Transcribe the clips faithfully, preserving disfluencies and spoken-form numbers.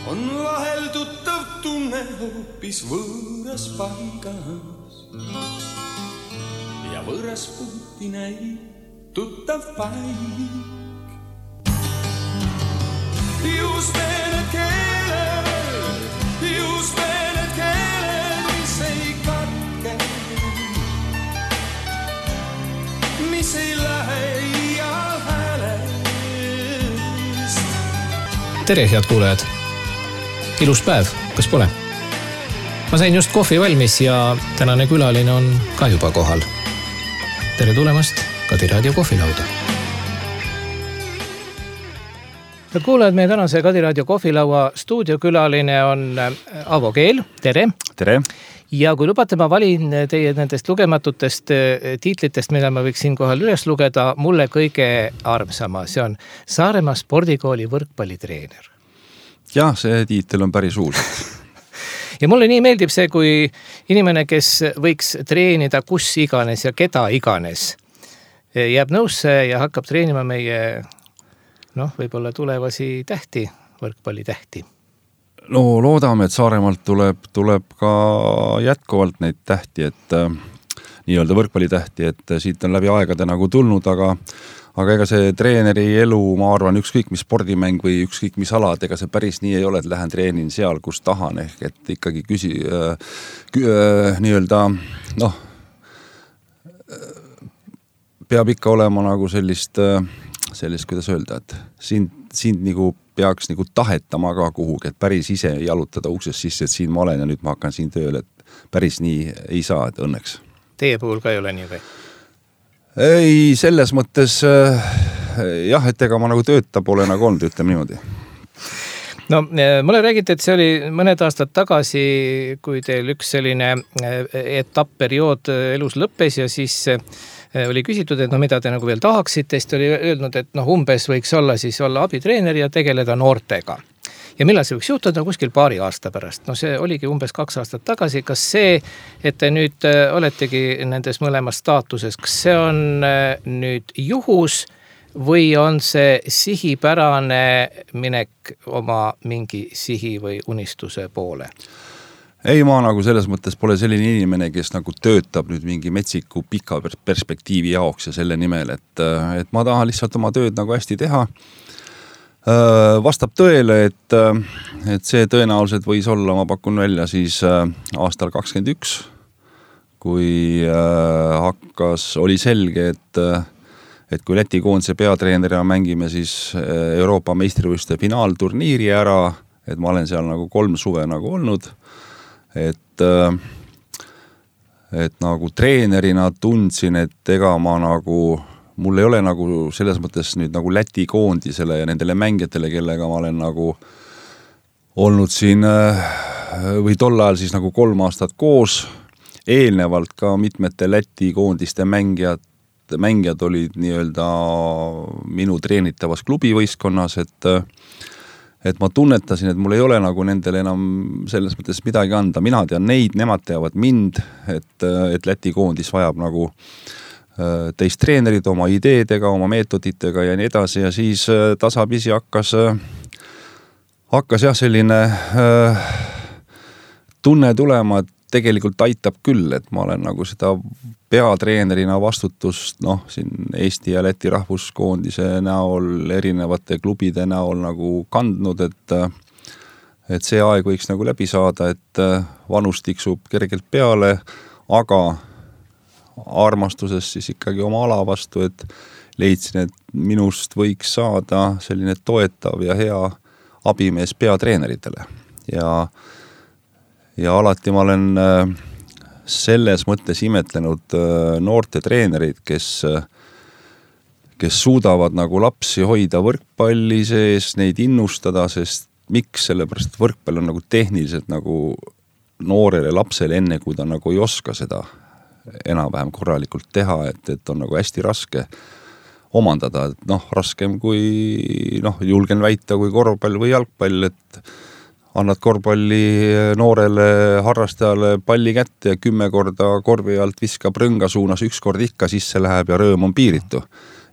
on vahel tuttav tunne hoopis võõras paigas ja võõras puuti näib tuttav paik. Just need keeled, just need keeled, mis ei katke, mis ei lähe iial häälest. Tere, head kuulajad! Ilus päev, kas pole? Ma sain just kohvi valmis ja tänane külaline on ka juba kohal. Tere tulemast Kadi Raadio kohvilauda. Head kuulajad, meie tänase Kadi Raadio kohvilaua stuudiokülaline on Avo Keel. Tere! Tere! Ja kui lubate, ma valin teie nendest lugematutest tiitlitest, mida ma võiks siinkohal üles lugeda, mulle kõige armsama. See on Saaremaa spordikooli võrkpallitreener. Jah, see tiitel on päris uus. Ja mulle nii meeldib see, kui inimene, kes võiks treenida kus iganes ja keda iganes, jääb nõusse ja hakkab treenima meie, noh, võib-olla tulevasi tähti, võrkpallitähti. No loodame, et Saaremaalt tuleb, tuleb ka jätkuvalt neid tähti, et äh, nii-öelda võrkpallitähti, et siit on läbi aegade nagu tulnud, aga, aga ega see treeneri elu, ma arvan, ükskõik mis spordimäng või ükskõik mis alad, ega see päris nii ei ole, et lähen treenin seal, kus tahan, ehk et ikkagi küsi, äh, kü, äh, nii-öelda, noh, peab ikka olema nagu sellist, sellist, kuidas öelda, et sind, sind nagu peaks nagu tahetama ka kuhugi, et päris ise jalutada uksest sisse, et siin ma olen ja nüüd ma hakkan siin tööle, et päris nii ei saa, et õnneks. Teie puhul ka ei ole nii või? Ei, selles mõttes jah, et ega ma nagu tööta pole nagu olnud, ütleme niimoodi. No, mulle räägite, et see oli mõned aastad tagasi, kui teil üks selline etapp-periood elus lõppes ja siis oli küsitud, et no mida te nagu veel tahaksite, siis oli öelnud, et noh, umbes võiks olla siis olla abitreener ja tegeleda noortega. Ja millal see võiks juhtuda kuskil paari aasta pärast? No see oligi umbes kaks aastat tagasi. Kas see, et te nüüd oletegi nendes mõlemas staatuses, kas see on nüüd juhus või on see sihipärane minek oma mingi sihi või unistuse poole? Ei, ma nagu selles mõttes pole selline inimene, kes nagu töötab nüüd mingi metsiku pika perspektiivi jaoks ja selle nimel, et, et ma tahan lihtsalt oma tööd nagu hästi teha. Vastab tõele, et, et see tõenäoliselt võis olla, ma pakun välja siis aastal kakskümmend üks, kui hakkas, oli selge, et, et kui Läti koondise peatreenerina mängime siis Euroopa meistrivõistluste finaalturniiri ära, et ma olen seal nagu kolm suve nagu olnud, et, et nagu treenerina tundsin, et ega ma nagu, mul ei ole nagu selles mõttes nüüd nagu Läti koondisele ja nendele mängijatele, kellega ma olen nagu olnud siin või tol ajal siis nagu kolm aastat koos, eelnevalt ka mitmete Läti koondiste mängijad, mängijad olid nii-öelda minu treenitavas klubivõistkonnas, et et ma tunnetasin, et mul ei ole nagu nendele enam selles mõttes midagi anda. Mina tean neid, nemad teavad mind, et, et Läti koondis vajab nagu teist treenerid oma ideedega, oma meetoditega ja nii edasi ja siis tasapisi hakkas, hakkas jah selline tunne tulema, et tegelikult aitab küll, et ma olen nagu seda peatreenerina vastutust, noh, siin Eesti ja Läti rahvuskoondise näol, erinevate klubide näol nagu kandnud, et, et see aeg võiks nagu läbi saada, et vanus tiksub kergelt peale, aga armastuses siis ikkagi oma ala vastu, et leidsin, et minust võiks saada selline toetav ja hea abimees peatreeneritele ja Ja alati ma olen selles mõttes imetlenud noorte treenerid, kes, kes suudavad nagu lapsi hoida võrkpalli sees, neid innustada, sest miks? Sellepärast, et võrkpall on nagu tehniliselt nagu noorele lapsele enne, kui ta nagu ei oska seda enam-vähem korralikult teha, et, et on nagu hästi raske omandada. Et noh, raskem kui, noh, julgen väita kui korvpall või jalgpall, et annad korvpalli noorele harrastajale palli kätte ja kümme korda korvi alt viskab rõnga suunas, üks kord ikka sisse läheb ja rõõm on piiritu.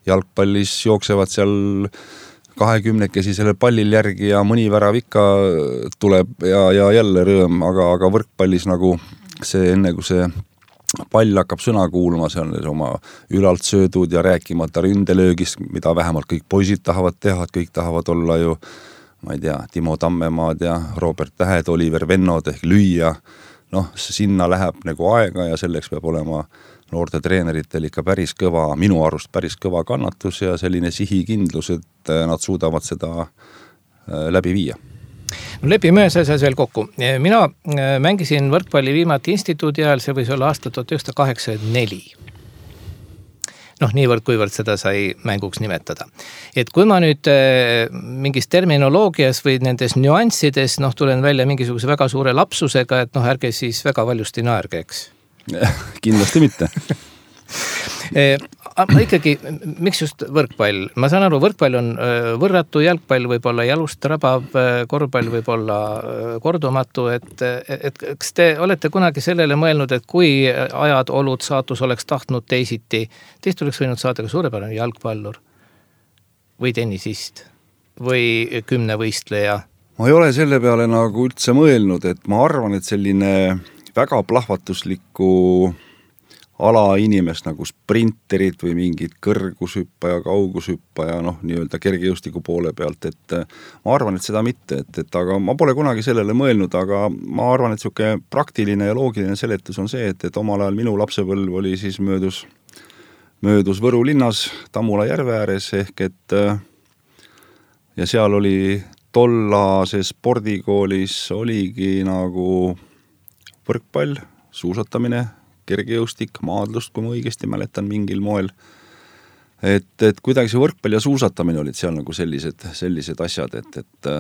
Jalgpallis jooksevad seal kahekümnekesi sellel pallil järgi ja mõni värav ikka tuleb ja, ja jälle rõõm, aga, aga võrkpallis nagu see enne kui see pall hakkab sõna kuulma, see on oma ülalt söödud ja rääkimata ründelöögist, mida vähemalt kõik poisid tahavad teha, kõik tahavad olla ju, ma ei tea, Timo Tammemaad ja Robert Tähed, Oliver Vennod ehk lüüa. Noh, sinna läheb nagu aega ja selleks peab olema noorte treeneritel ikka päris kõva, minu arust päris kõva kannatus ja selline sihikindlus, et nad suudavad seda läbi viia. No lepime ühes asjas veel kokku. Mina mängisin võrkpalli viimati instituudi ajal, see võis olla aasta tuhat üheksasada kaheksakümmend neli. Noh, niivõrd, kuivõrd seda sai mänguks nimetada. Et kui ma nüüd mingis terminoloogias või nendes nüanssides, noh, tulen välja mingisuguse väga suure lapsusega, et noh, ärge siis väga valjusti naerge, eks? Kindlasti mitte. Ma ikkagi, miks just võrkpall? Ma saan aru, võrkpall on võrratu, jalgpall võib olla jalust rabav, korvpall võib olla kordumatu, et, et kas te olete kunagi sellele mõelnud, et kui ajad, olud, saatus oleks tahtnud teisiti, teist oleks võinud saada ka suurepärane jalgpallur või tennisist või kümnevõistleja? Ma ei ole selle peale nagu üldse mõelnud, et ma arvan, et selline väga plahvatuslikku ala inimest nagu sprinterid või mingid kõrgushüppaja, kaugushüppaja, noh, nii-öelda kergejõustiku poole pealt, et ma arvan, et seda mitte, et, et aga ma pole kunagi sellele mõelnud, aga ma arvan, et siuke praktiline ja loogiline seletus on see, et, et omal ajal minu lapsepõlv oli siis möödus, möödus Võru linnas Tammula järve ääres ehk et ja seal oli tollases spordikoolis oligi nagu võrkpall, suusatamine, kergejõustik, maadlust, kui ma õigesti mäletan mingil moel. Et, et kuidagi see võrkpall ja suusatamine olid seal nagu sellised, sellised asjad, et, et,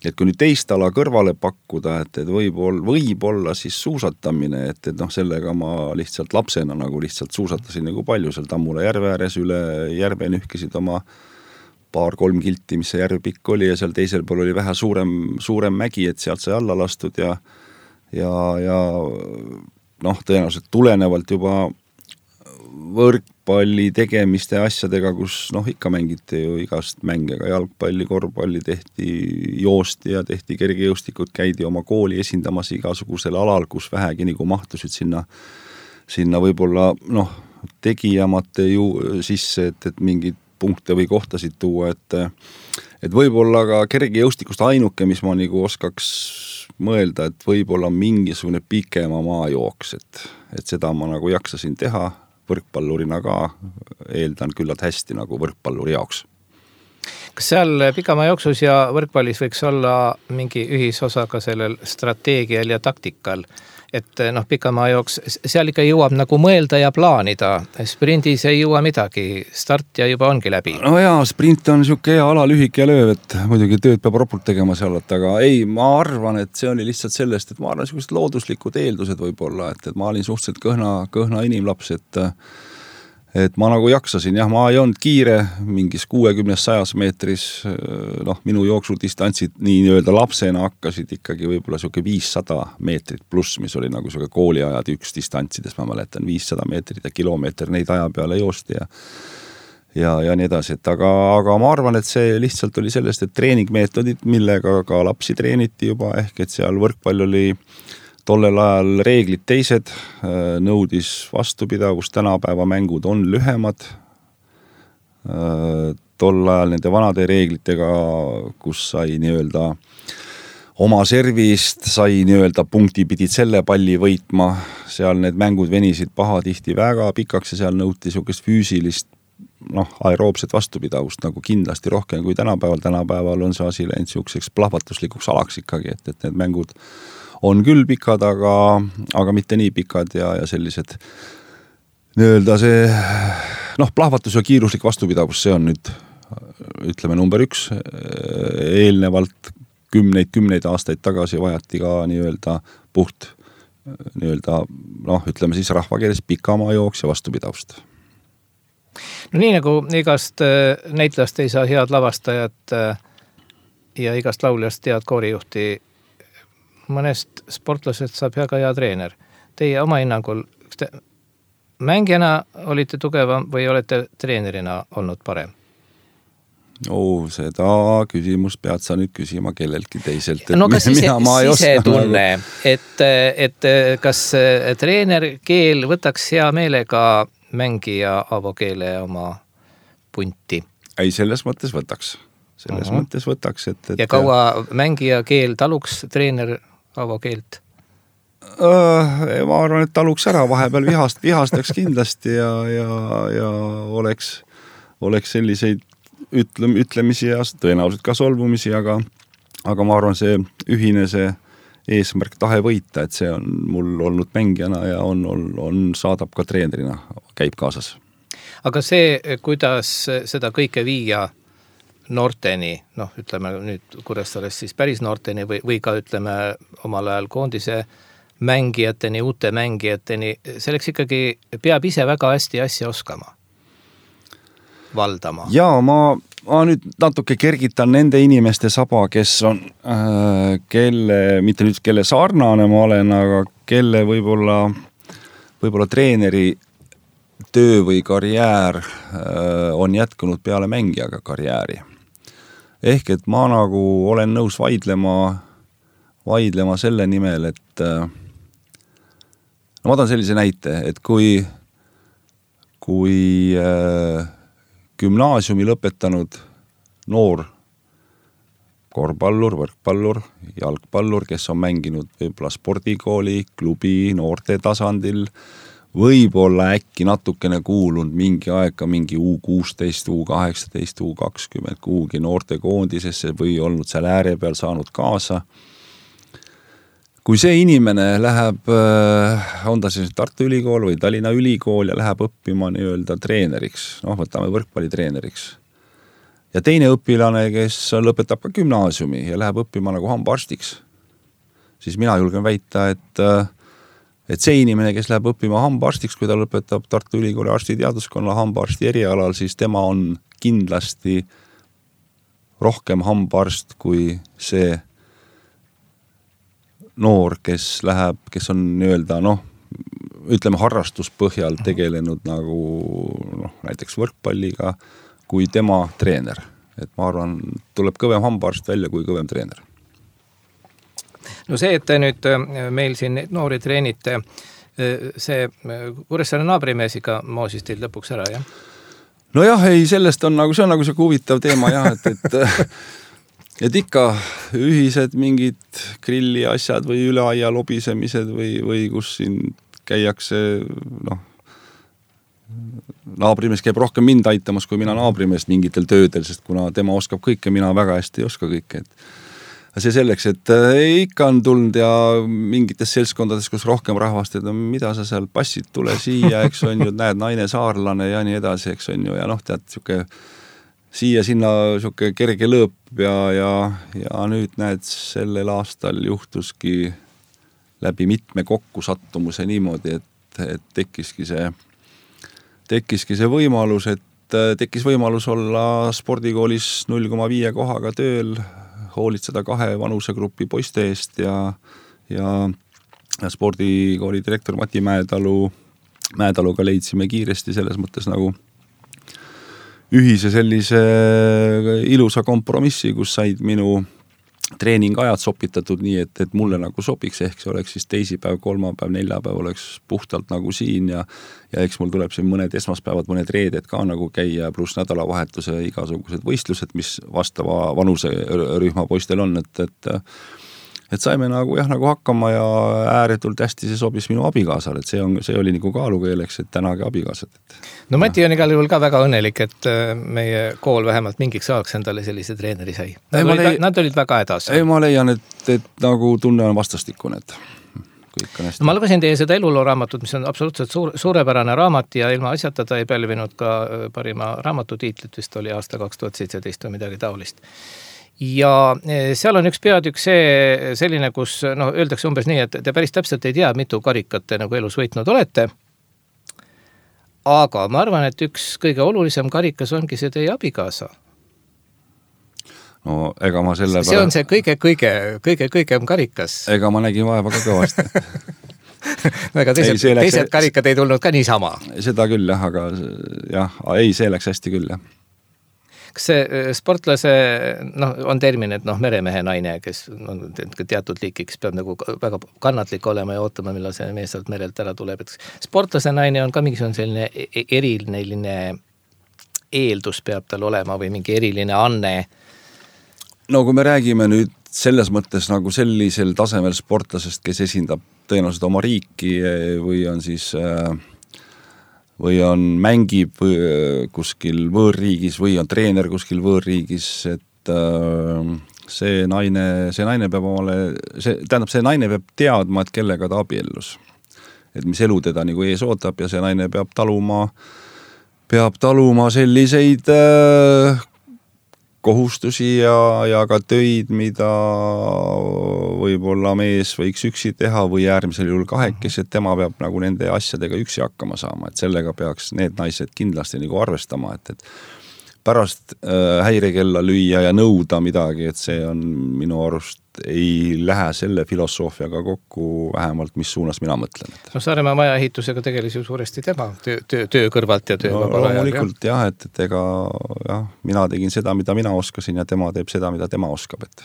et kui nüüd teist ala kõrvale pakkuda, et, et võib, olla, võib olla siis suusatamine, et, et noh, sellega ma lihtsalt lapsena nagu lihtsalt suusatasin nagu palju seal Tammula järve ääres üle järve nühkisid oma paar-kolm kilti, mis see järv pikk oli ja seal teisel pool oli vähe suurem, suurem mägi, et sealt sai alla lastud ja ja, ja noh, tõenäoliselt tulenevalt juba võrkpalli tegemiste asjadega, kus noh, ikka mängiti ju igast mänge, ka jalgpalli, korvpalli tehti, joosti ja tehti kergejõustikud, käidi oma kooli esindamas igasugusel alal, kus vähegi nagu mahtusid sinna, sinna võib-olla noh, tegijamate ju sisse, et, et mingid punkte või kohtasid tuua, et, et võib-olla ka kergejõustikust ainuke, mis ma nagu oskaks mõelda, et võib-olla mingisugune pikema maajooks, et, et seda ma nagu jaksasin teha võrkpallurina ka, eeldan küllalt hästi nagu võrkpalluri jaoks. Kas seal pikamaa jooksus ja võrkpallis võiks olla mingi ühisosa ka sellel strateegial ja taktikal? Et noh, pikamaa jooks, seal ikka jõuab nagu mõelda ja plaanida. Sprindis ei jõua midagi, start ja juba ongi läbi. No jaa, sprint on siuke hea ala, lühike ja lööv, et muidugi tööd peab ropult tegema seal, aga ei, ma arvan, et see oli lihtsalt sellest, et ma arvan, sellised looduslikud eeldused võib-olla, et, et ma olin suhteliselt kõhna, kõhna inimlaps, et et ma nagu jaksasin, jah, ma ei olnud kiire mingis kuuekümnes sajas meetris, noh, minu jooksudistantsid nii nii-öelda lapsena hakkasid ikkagi võib-olla siuke viissada meetrit pluss, mis oli nagu siuke kooliajad üks distantsides, ma mäletan, viissada meetrit ja kilomeeter neid aja peale joosti ja ja, ja nii edasi, et aga, aga ma arvan, et see lihtsalt oli sellest, et treeningmeetodid, millega ka lapsi treeniti juba, ehk et seal võrkpall oli tollel ajal reeglid teised, nõudis vastupidavust, tänapäeva mängud on lühemad. Tol ajal nende vanade reeglitega, kus sai nii-öelda oma servist, sai nii-öelda punkti pidid selle palli võitma, seal need mängud venisid pahatihti väga pikaks ja seal nõuti siukest füüsilist, noh, aeroobset vastupidavust nagu kindlasti rohkem kui tänapäeval. Tänapäeval on see asi läinud siukseks plahvatuslikuks alaks ikkagi, et, et need mängud on küll pikad, aga, aga mitte nii pikad ja, ja sellised nii-öelda see noh, plahvatus ja kiiruslik vastupidavus, see on nüüd ütleme number üks. Eelnevalt kümneid, kümneid aastaid tagasi vajati ka nii-öelda puht nii-öelda noh, ütleme siis rahvakeeles pikamaa jooks ja vastupidavust. No nii nagu igast näitlast ei saa head lavastajat ja igast lauljast head koorijuhti, mõnest sportlased saab väga hea treener. Teie oma hinnangul, kas te mängijana olite tugevam või olete treenerina olnud parem? Oh, seda küsimust pead sa nüüd küsima kelleltki teiselt. No kas sise, sisetunne, et, et kas treener Keel võtaks hea meelega mängija Aavo Keele oma punti? Ei, selles mõttes võtaks. Selles uh-huh. mõttes võtaks, et, et... Ja kaua mängija Keel taluks treener Aavo Keelt? Uh, ma arvan, et taluks ära vahepeal vihast, vihastaks kindlasti ja, ja, ja oleks, oleks selliseid ütlem, ütlemisi ja tõenäoliselt ka solvumisi, aga, aga ma arvan, see ühine see eesmärk tahe võita, et see on mul olnud mängijana ja on, on, on saadab ka treenerina, käib kaasas. Aga see, kuidas seda kõike viia noorteni, noh, ütleme nüüd Kuressaares siis päris noorteni või, või ka ütleme omal ajal koondise mängijateni, uute mängijateni, selleks ikkagi peab ise väga hästi asja oskama, valdama. Jaa, ma, ma nüüd natuke kergitan nende inimeste saba, kes on, äh, kelle, mitte nüüd kelle sarnane ma olen, aga kelle võib-olla, võib-olla treeneri töö või karjäär äh, on jätkunud peale mängijaga karjääri. Ehk et ma nagu olen nõus vaidlema, vaidlema selle nimel, et äh, no ma tahan sellise näite, et kui, kui äh, gümnaasiumi lõpetanud noor korvpallur, võrkpallur, jalgpallur, kes on mänginud võib-olla spordikooli, klubi, noorte tasandil, võib-olla äkki natukene kuulunud mingi aega mingi U kuusteist, U kaheksateist, U kakskümmend kuhugi noorte koondisesse või olnud seal ääre peal saanud kaasa. Kui see inimene läheb, on ta siis Tartu Ülikool või Tallinna Ülikool ja läheb õppima nii-öelda treeneriks, noh, võtame võrkpallitreeneriks. Ja teine õpilane, kes lõpetab ka gümnaasiumi ja läheb õppima nagu hambaarstiks, siis mina julgen väita, et, et see inimene, kes läheb õppima hambaarstiks, kui ta lõpetab Tartu Ülikooli arstiteaduskonna hambaarsti erialal, siis tema on kindlasti rohkem hambaarst kui see noor, kes läheb, kes on nii-öelda, noh, ütleme harrastuspõhjal tegelenud nagu noh, näiteks võrkpalliga kui tema treener. Et ma arvan, tuleb kõvem hambaarst välja kui kõvem treener. No see, et te nüüd meil siin noori treenite, see Kuressaare naabrimeesiga moosis teid lõpuks ära, jah? No jah, ei, sellest on nagu, see on nagu see huvitav teema jah, et, et et ikka ühised mingid grilli asjad või üle aia lobisemised või, või kus siin käiakse, noh, naabrimees käib rohkem mind aitamas kui mina naabrimeest mingitel töödel, sest kuna tema oskab kõike, mina väga hästi ei oska kõike. Et see selleks, et ikka on tulnud ja mingites seltskondades, kus rohkem rahvast, et no, mida sa seal passid, tule siia, eks on ju, näed, naine saarlane ja nii edasi, eks on ju, ja noh, tead, siuke siia sinna siuke kerge lõõp ja, ja, ja nüüd näed, sellel aastal juhtuski läbi mitme kokkusattumuse niimoodi, et, et tekkiski see, tekkiski see võimalus, et tekkis võimalus olla spordikoolis null koma viie kohaga tööl, hoolitseda kahe vanusegrupi poiste eest ja, ja, ja spordikooli direktor Mati Mäetalu, Mäetaluga leidsime kiiresti selles mõttes nagu ühise sellise ilusa kompromissi, kus said minu treeningajad sopitatud nii, et, et mulle nagu sobiks, ehk see oleks siis teisipäev, kolmapäev, neljapäev oleks puhtalt nagu siin ja, ja eks mul tuleb siin mõned esmaspäevad, mõned reeded ka nagu käia, pluss nädalavahetuse igasugused võistlused, mis vastava vanuse rühma poistel on, et, et et saime nagu jah, nagu hakkama ja ääretult hästi see sobis minu abikaasale, et see, on, see oli nagu kaalukeeleks, et tänagi abikaasad. No Mati on igal juhul ka väga õnnelik, et meie kool vähemalt mingiks ajaks endale sellise treeneri sai. Nad, olid, leia... nad olid väga edas. Ei, ma leian, et, et nagu tunne on vastastikune, et kõik on hästi. No, ma lugesin teie seda eluloo raamatut, mis on absoluutselt suur, suurepärane raamat ja ilma asjata ta ei pälvinud ka parima raamatutiitlit, vist oli aasta kaks tuhat seitseteist või midagi taolist. Ja seal on üks peatükk see selline, kus no, öeldakse umbes nii, et te päris täpselt ei tea, mitu karikat te nagu elus võitnud olete. Aga ma arvan, et üks kõige olulisem karikas ongi see teie abikaasa. No ega ma selle see on see kõige, kõige, kõige, kõigem karikas. Ega ma nägin vaeva ka kõvasti. Väga teised, ei, läks... teised karikad ei tulnud ka niisama. Seda küll jah, aga jah, ei, see läks hästi küll jah. kas see sportlase, noh, on termin, et noh, meremehe naine, kes on teatud liiki, kes peab nagu väga kannatlik olema ja ootama, millal see mees sealt merelt ära tuleb, et sportlase naine on ka mingisugune selline eriline eeldus peab tal olema või mingi eriline anne? No kui me räägime nüüd selles mõttes nagu sellisel tasemel sportlasest, kes esindab tõenäoliselt oma riiki või on siis või on mängib kuskil võõrriigis või on treener kuskil võõrriigis, et see naine, see naine peab omale, see, tähendab, see naine peab teadma, et kellega ta abiellus. Et mis elu teda nagu ees ootab ja see naine peab taluma, peab taluma selliseid kohustusi ja, ja ka töid, mida võib-olla mees võiks üksi teha või äärmisel juhul kahekesi, et tema peab nagu nende asjadega üksi hakkama saama, et sellega peaks need naised kindlasti nagu arvestama, et, et pärast äh, häirekella lüüa ja nõuda midagi, et see on minu arust ei lähe selle filosoofiaga kokku vähemalt, mis suunas mina mõtlen. Et. No Saaremaa maja ehitusega tegeles ju suuresti tema töö, töö, töö kõrvalt ja töö no, vabal ajal. Loomulikult jah, et, et ega jah, mina tegin seda, mida mina oskasin ja tema teeb seda, mida tema oskab. Et.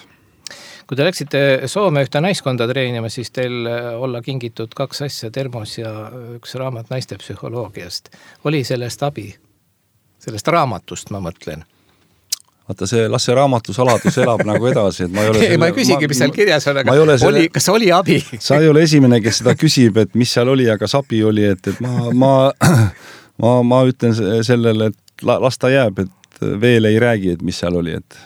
Kui te läksite Soome ühte naiskonda treenima, siis teil olla kingitud kaks asja, termos ja üks raamat naiste psühholoogiast. Oli sellest abi? Sellest raamatust ma mõtlen. Vaata see, las see raamatu saladus elab nagu edasi, et ma ei ole selle, ma ei küsigi, mis seal kirjas on, aga selle, oli, kas oli abi? Sa ei ole esimene, kes seda küsib, et mis seal oli, aga sabi oli, et, et ma, ma, ma, ma ütlen sellele, et las ta jääb, et veel ei räägi, et mis seal oli, et,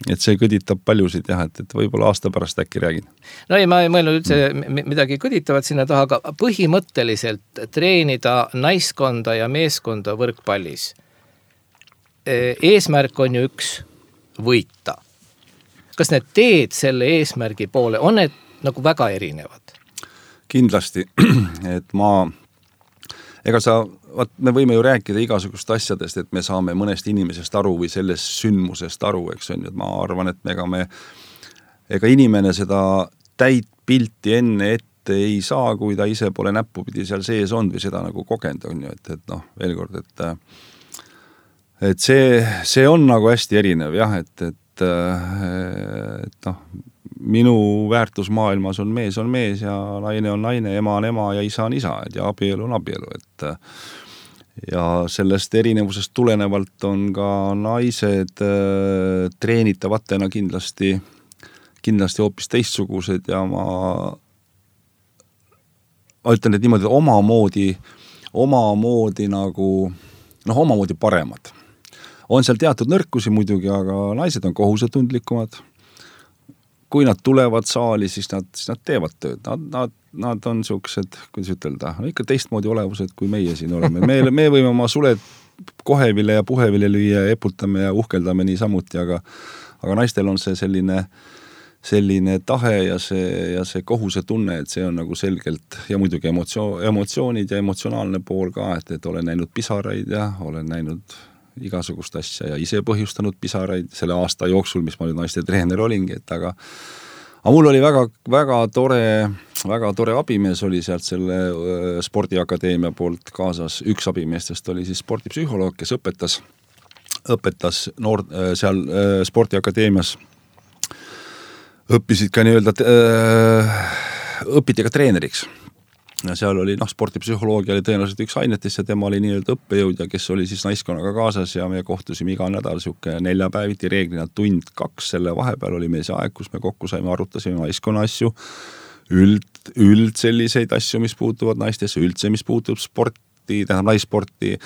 et see kõditab paljusid jah, et, et võib-olla aasta pärast äkki räägin. No ei, ma ei mõelnud üldse midagi kõditavat sinna taha, aga põhimõtteliselt treenida naiskonda ja meeskonda võrkpallis. Eesmärk on ju üks võita. Kas need teed selle eesmärgi poole, on need nagu väga erinevad? Kindlasti, et ma, ega sa, vaat me võime ju rääkida igasugust asjadest, et me saame mõnest inimesest aru või sellest sündmusest aru, eks on ju, et ma arvan, et ega me, ega inimene seda täit pilti enne ette ei saa, kui ta ise pole näppupidi seal sees on või seda nagu kogenud on ju, et, et noh, veel kord, et et see, see on nagu hästi erinev jah, et, et, et noh, minu väärtusmaailmas on mees on mees ja naine on naine, ema on ema ja isa on isa, et ja abielu on abielu, et ja sellest erinevusest tulenevalt on ka naised treenitavatena kindlasti, kindlasti hoopis teistsugused ja ma, ma ütlen, et niimoodi omamoodi, omamoodi nagu, noh, omamoodi paremad. On seal teatud nõrkusi muidugi, aga naised on kohusetundlikumad. Kui nad tulevad saali, siis nad, siis nad teevad tööd. Nad, nad, nad on siuksed, kuidas ütelda, no ikka teistmoodi olevused, kui meie siin oleme. Me, me võime oma suled kohevile ja puhevile lüüa, eputame ja uhkeldame nii samuti, aga, aga naistel on see selline, selline tahe ja see, ja see kohuse tunne, et see on nagu selgelt ja muidugi emotsio, emotsioonid ja emotsionaalne pool ka, et, et olen näinud pisaraid ja olen näinud igasugust asja ja ise põhjustanud pisaraid selle aasta jooksul, mis ma nüüd naiste treener olingi, et aga, aga mul oli väga, väga tore, väga tore abimees oli sealt selle spordiakadeemia poolt kaasas. Üks abimeestest oli siis spordipsühholoog, kes õpetas, õpetas noor, seal spordiakadeemias. Õppisid ka nii-öelda, õpiti ka treeneriks. Ja seal oli, noh, spordipsühholoogia oli tõenäoliselt üks ainetest ja tema oli nii-öelda õppejõud ja kes oli siis naiskonnaga kaasas ja me kohtusime iga nädal siuke neljapäeviti reeglina tund kaks, selle vahepeal oli meil see aeg, kus me kokku saime, arutasime naiskonna asju, üld, üld selliseid asju, mis puutuvad naistesse, üldse, mis puutub sporti, tähendab naissporti,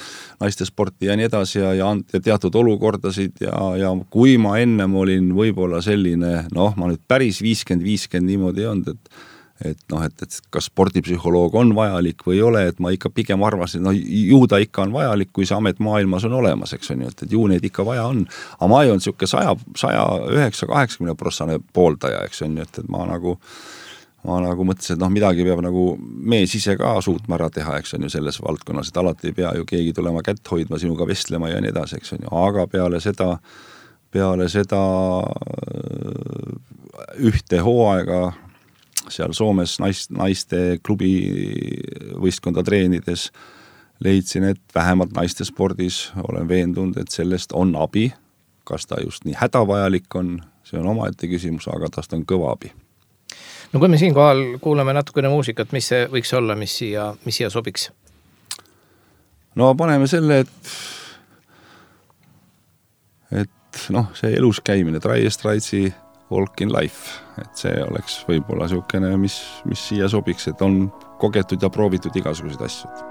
naiste sporti ja nii edasi ja, ja, ja teatud olukordasid ja, ja kui ma ennem olin võib-olla selline, noh, ma nüüd päris viiskümmend viiskümmend niimoodi ei olnud, et et noh, et, et kas spordipsühholoog on vajalik või ei ole, et ma ikka pigem arvasin, et no ju ta ikka on vajalik, kui see amet maailmas on olemas, eks on ju, et, et ju neid ikka vaja on. Aga ma ei olnud siuke saja, saja üheksa, kaheksakümne protsane pooldaja, eks on ju, et, et ma nagu, ma nagu mõtlesin, et noh, midagi peab nagu mees ise ka suutma ära teha, eks on ju, selles valdkonnas, et alati ei pea ju keegi tulema kätt hoidma, sinuga vestlema ja nii edasi, eks on ju, aga peale seda, peale seda ühte hooaega seal Soomes naist, naiste klubi võistkonda treenides leidsin, et vähemalt naiste spordis olen veendunud, et sellest on abi kas ta just nii hädavajalik on, see on omaette küsimus, aga tast on kõva abi. No kui me siin kohal kuulame natukene muusikat, mis see võiks olla, mis siia, mis siia sobiks? No paneme selle, et et noh, see elus käimine, Dire Straits'i Walk in Life, et see oleks võib-olla siukene, mis, mis siia sobiks, et on kogetud ja proovitud igasuguseid asjad.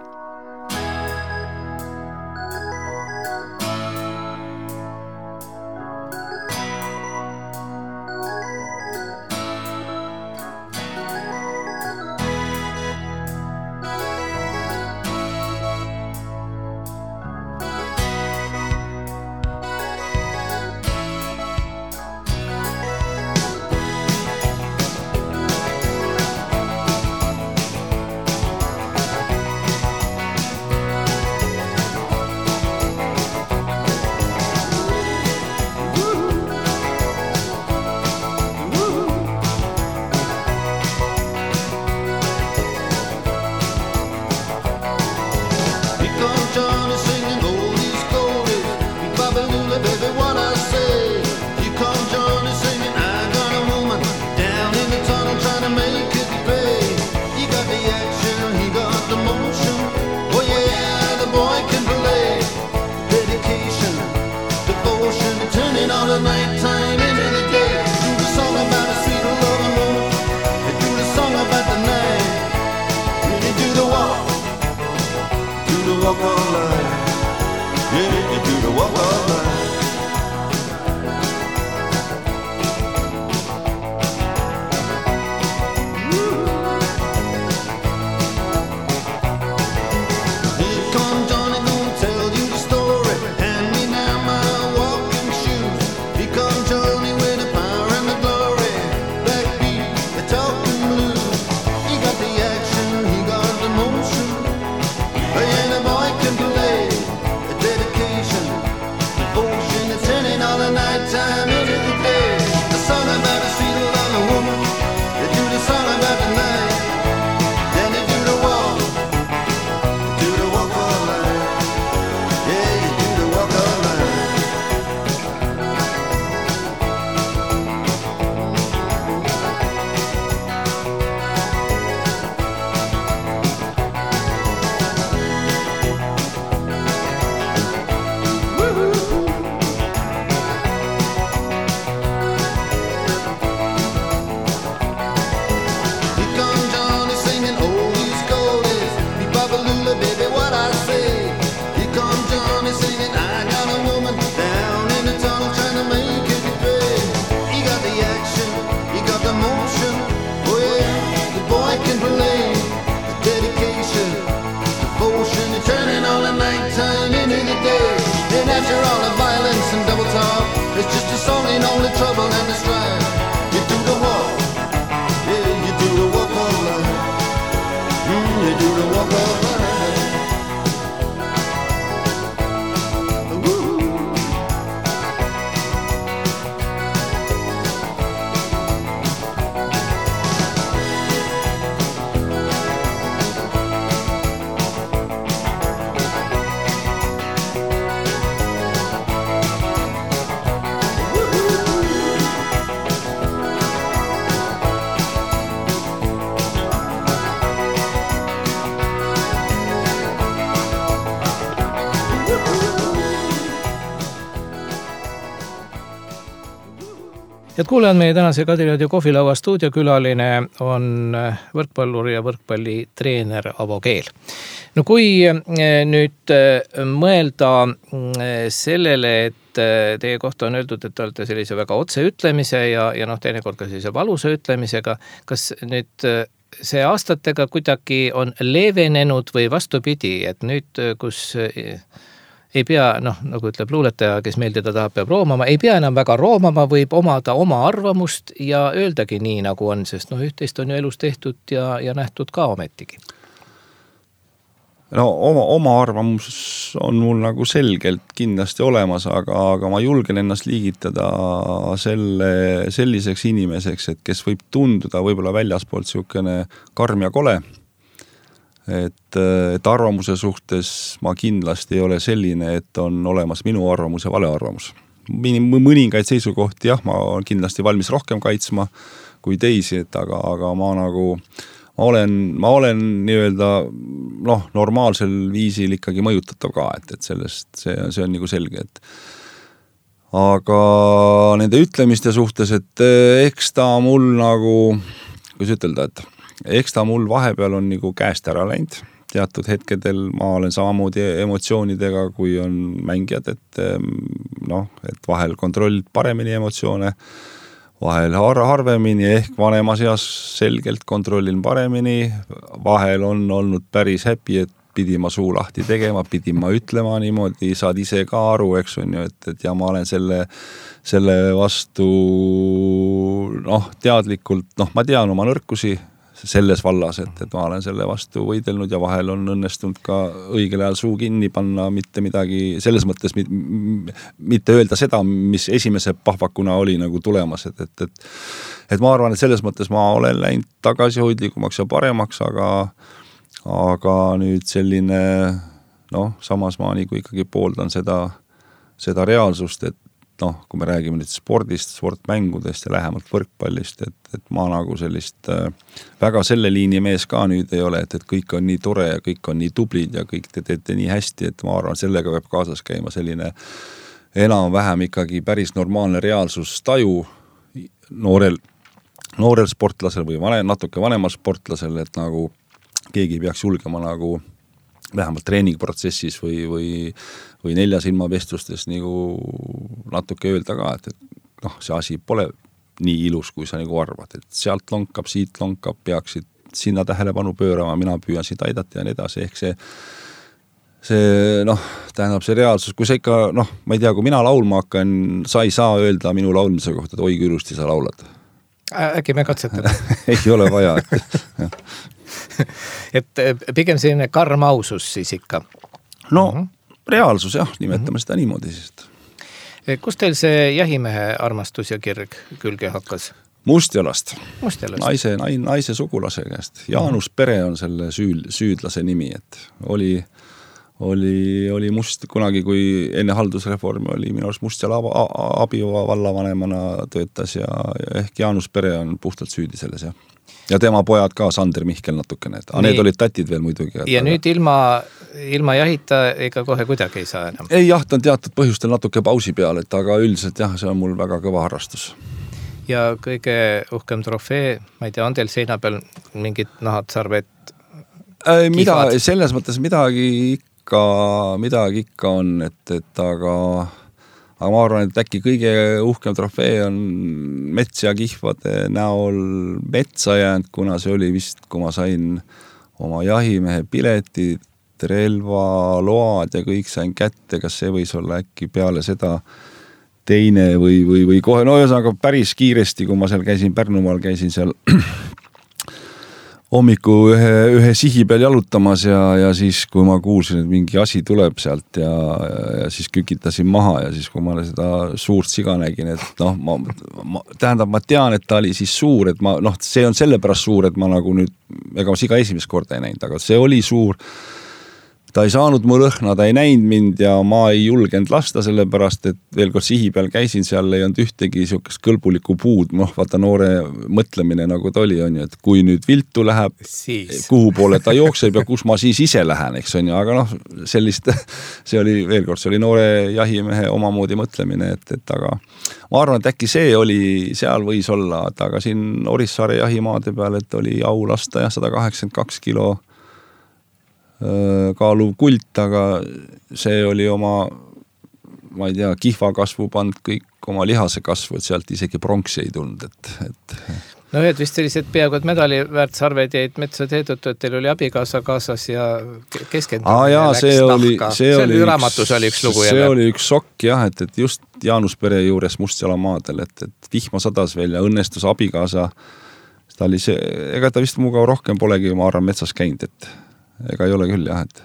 Head kuulajad, meie tänase Kadriradio kohvilaua stuudiokülaline on võrkpallur ja võrkpallitreener Avo Keel. No kui nüüd mõelda sellele, et teie kohta on öeldud, et te olete sellise väga otseütlemise ja, ja noh, teinekord ka sellise valusa ütlemisega, kas nüüd see aastatega kuidagi on leevenenud või vastupidi, et nüüd, kus ei pea, noh, nagu ütleb luuletaja, kes meeldida tahab, peab roomama, ei pea enam väga roomama, võib omada oma arvamust ja öeldagi nii, nagu on, sest noh, üht-teist on ju elus tehtud ja, ja nähtud ka ometigi. No oma, oma arvamus on mul nagu selgelt kindlasti olemas, aga, aga ma julgen ennast liigitada selle, selliseks inimeseks, et kes võib tunduda võib-olla väljaspoolt siukene karm ja kole, et, et arvamuse suhtes ma kindlasti ei ole selline, et on olemas minu arvamus ja vale arvamus. mõningaid seisukohti, jah, ma olen kindlasti valmis rohkem kaitsma kui teisi, et aga, aga ma nagu, ma olen, ma olen nii-öelda, noh, normaalsel viisil ikkagi mõjutatav ka, et, et sellest, see, see on nagu selge, et aga nende ütlemiste suhtes, et eks ta mul nagu, kuidas ütelda, et eks ta mul vahepeal on nagu käest ära läinud. Teatud hetkedel ma olen samamoodi emotsioonidega, kui on mängijad, et noh, et vahel kontrollid paremini emotsioone, vahel har- harvemini, ehk vanemas eas selgelt kontrollin paremini, vahel on olnud päris häpi, et pidi ma suu lahti tegema, pidi ma ütlema niimoodi, saad ise ka aru, eks on ju, et, et ja ma olen selle, selle vastu noh, teadlikult, noh, ma tean oma nõrkusi selles vallas, et, et ma olen selle vastu võidelnud ja vahel on õnnestunud ka õigel ajal suu kinni panna, mitte midagi, selles mõttes mitte öelda seda, mis esimese pahvakuna oli nagu tulemas, et, et, et, et ma arvan, et selles mõttes ma olen läinud tagasihoidlikumaks ja paremaks, aga aga nüüd selline, noh, samas ma nagu ikkagi pooldan seda, seda reaalsust, et noh, kui me räägime nüüd spordist, sportmängudest ja lähemalt võrkpallist, et, et ma nagu sellist äh, väga selle liini mees ka nüüd ei ole, et, et kõik on nii tore ja kõik on nii tublid ja kõik te teete nii hästi, et ma arvan, sellega peab kaasas käima selline enam-vähem ikkagi päris normaalne reaalsustaju noorel, noorel sportlasel või vanem, natuke vanemal sportlasel, et nagu keegi peaks julgema nagu vähemalt treeningprotsessis või, või, või nelja silma vestlustes nagu natuke öelda ka, et, et noh, see asi pole nii ilus, kui sa nagu arvad, et sealt lonkab, siit lonkab, peaksid sinna tähelepanu pöörama, mina püüan siit aidata ja nii edasi, ehk see see, noh, tähendab see reaalsus, kui sa ikka, noh, ma ei tea, kui mina laulma hakkan, sa ei saa öelda minu laulmise kohta, et oi kui ilusti sa laulad. Äkki me katsetame? ei ole vaja, et et pigem selline karm ausus siis ikka. No mm-hmm. reaalsus jah, nimetame mm-hmm. seda niimoodi siis. Kus teil see jahimehe armastus ja kirg külge hakkas? Mustjalast. Mustjalast. Naise, naise sugulase käest. Jaanus Pere on selle süül, süüdlase nimi, et oli, oli, oli must kunagi, kui enne haldusreformi oli minu arust Mustjala Abiova vallavanemana töötas ja, ja ehk Jaanus Pere on puhtalt süüdi selles, jah. Ja tema pojad ka, Sander Mihkel natukene, et need olid tatid veel muidugi. Ja aga... nüüd ilma, ilma jahita ega kohe kuidagi ei saa enam? Ei, jaht on teatud põhjustel natuke pausi peal, et aga üldiselt jah, see on mul väga kõva harrastus. Ja kõige uhkem trofee, ma ei tea, on teil seina peal mingid nahad, sarved, äh, mida, selles mõttes midagi ikka, midagi ikka on, et, et aga... aga ma arvan, et äkki kõige uhkem trofee on mets ja kihvade näol metsa jäänud, kuna see oli vist, kui ma sain oma jahimehe piletid, relva, load ja kõik sain kätte, kas see võis olla äkki peale seda teine või, või, või kohe, no ühesõnaga päris kiiresti, kui ma seal käisin Pärnumaal, käisin seal hommiku ühe, ühe sihi peal jalutamas ja, ja siis, kui ma kuulsin, et mingi asi tuleb sealt ja, ja, ja siis kükitasin maha ja siis, kui ma seda suurt siga nägin, et noh, ma, ma, tähendab, ma tean, et ta oli siis suur, et ma, noh, see on sellepärast suur, et ma nagu nüüd, ega ma siga esimest korda ei näinud, aga see oli suur. Ta ei saanud mu lõhna, ta ei näinud mind ja ma ei julgenud lasta sellepärast, et veel kord sihi peal käisin, seal ei olnud ühtegi siukest kõlbulikku puud, noh, vaata noore mõtlemine nagu ta oli, on ju, et kui nüüd viltu läheb, siis. Kuhu poole ta jookseb ja kus ma siis ise lähen, eks on ju, aga noh, sellist, see oli veel kord, see oli noore jahimehe omamoodi mõtlemine, et, et aga ma arvan, et äkki see oli, seal võis olla, et aga siin Orissaare jahimaade peal, et oli au lasta ja sada kaheksakümmend kaks kilo kaaluv kult, aga see oli oma, ma ei tea, kihva kasvu pand kõik oma lihase kasvu, et sealt isegi pronksi ei tulnud, et, et... No ühed vist sellised peaaegu, et medali väärt sarved jäid metsa teedutu, et teil oli abikaasa kaasas ja keskendumine ah, jaa, läks see nahka. Oli, see, see oli raamatus oli üks lugu see jälle. See oli üks sokk jah, et, et just Jaanus Pere juures Mustjala maadel, et, et vihma sadas veel ja õnnestus abikaasa, ta oli see, ega ta vist muga rohkem polegi, ma arvan, metsas käinud, et ega ei ole küll jah, et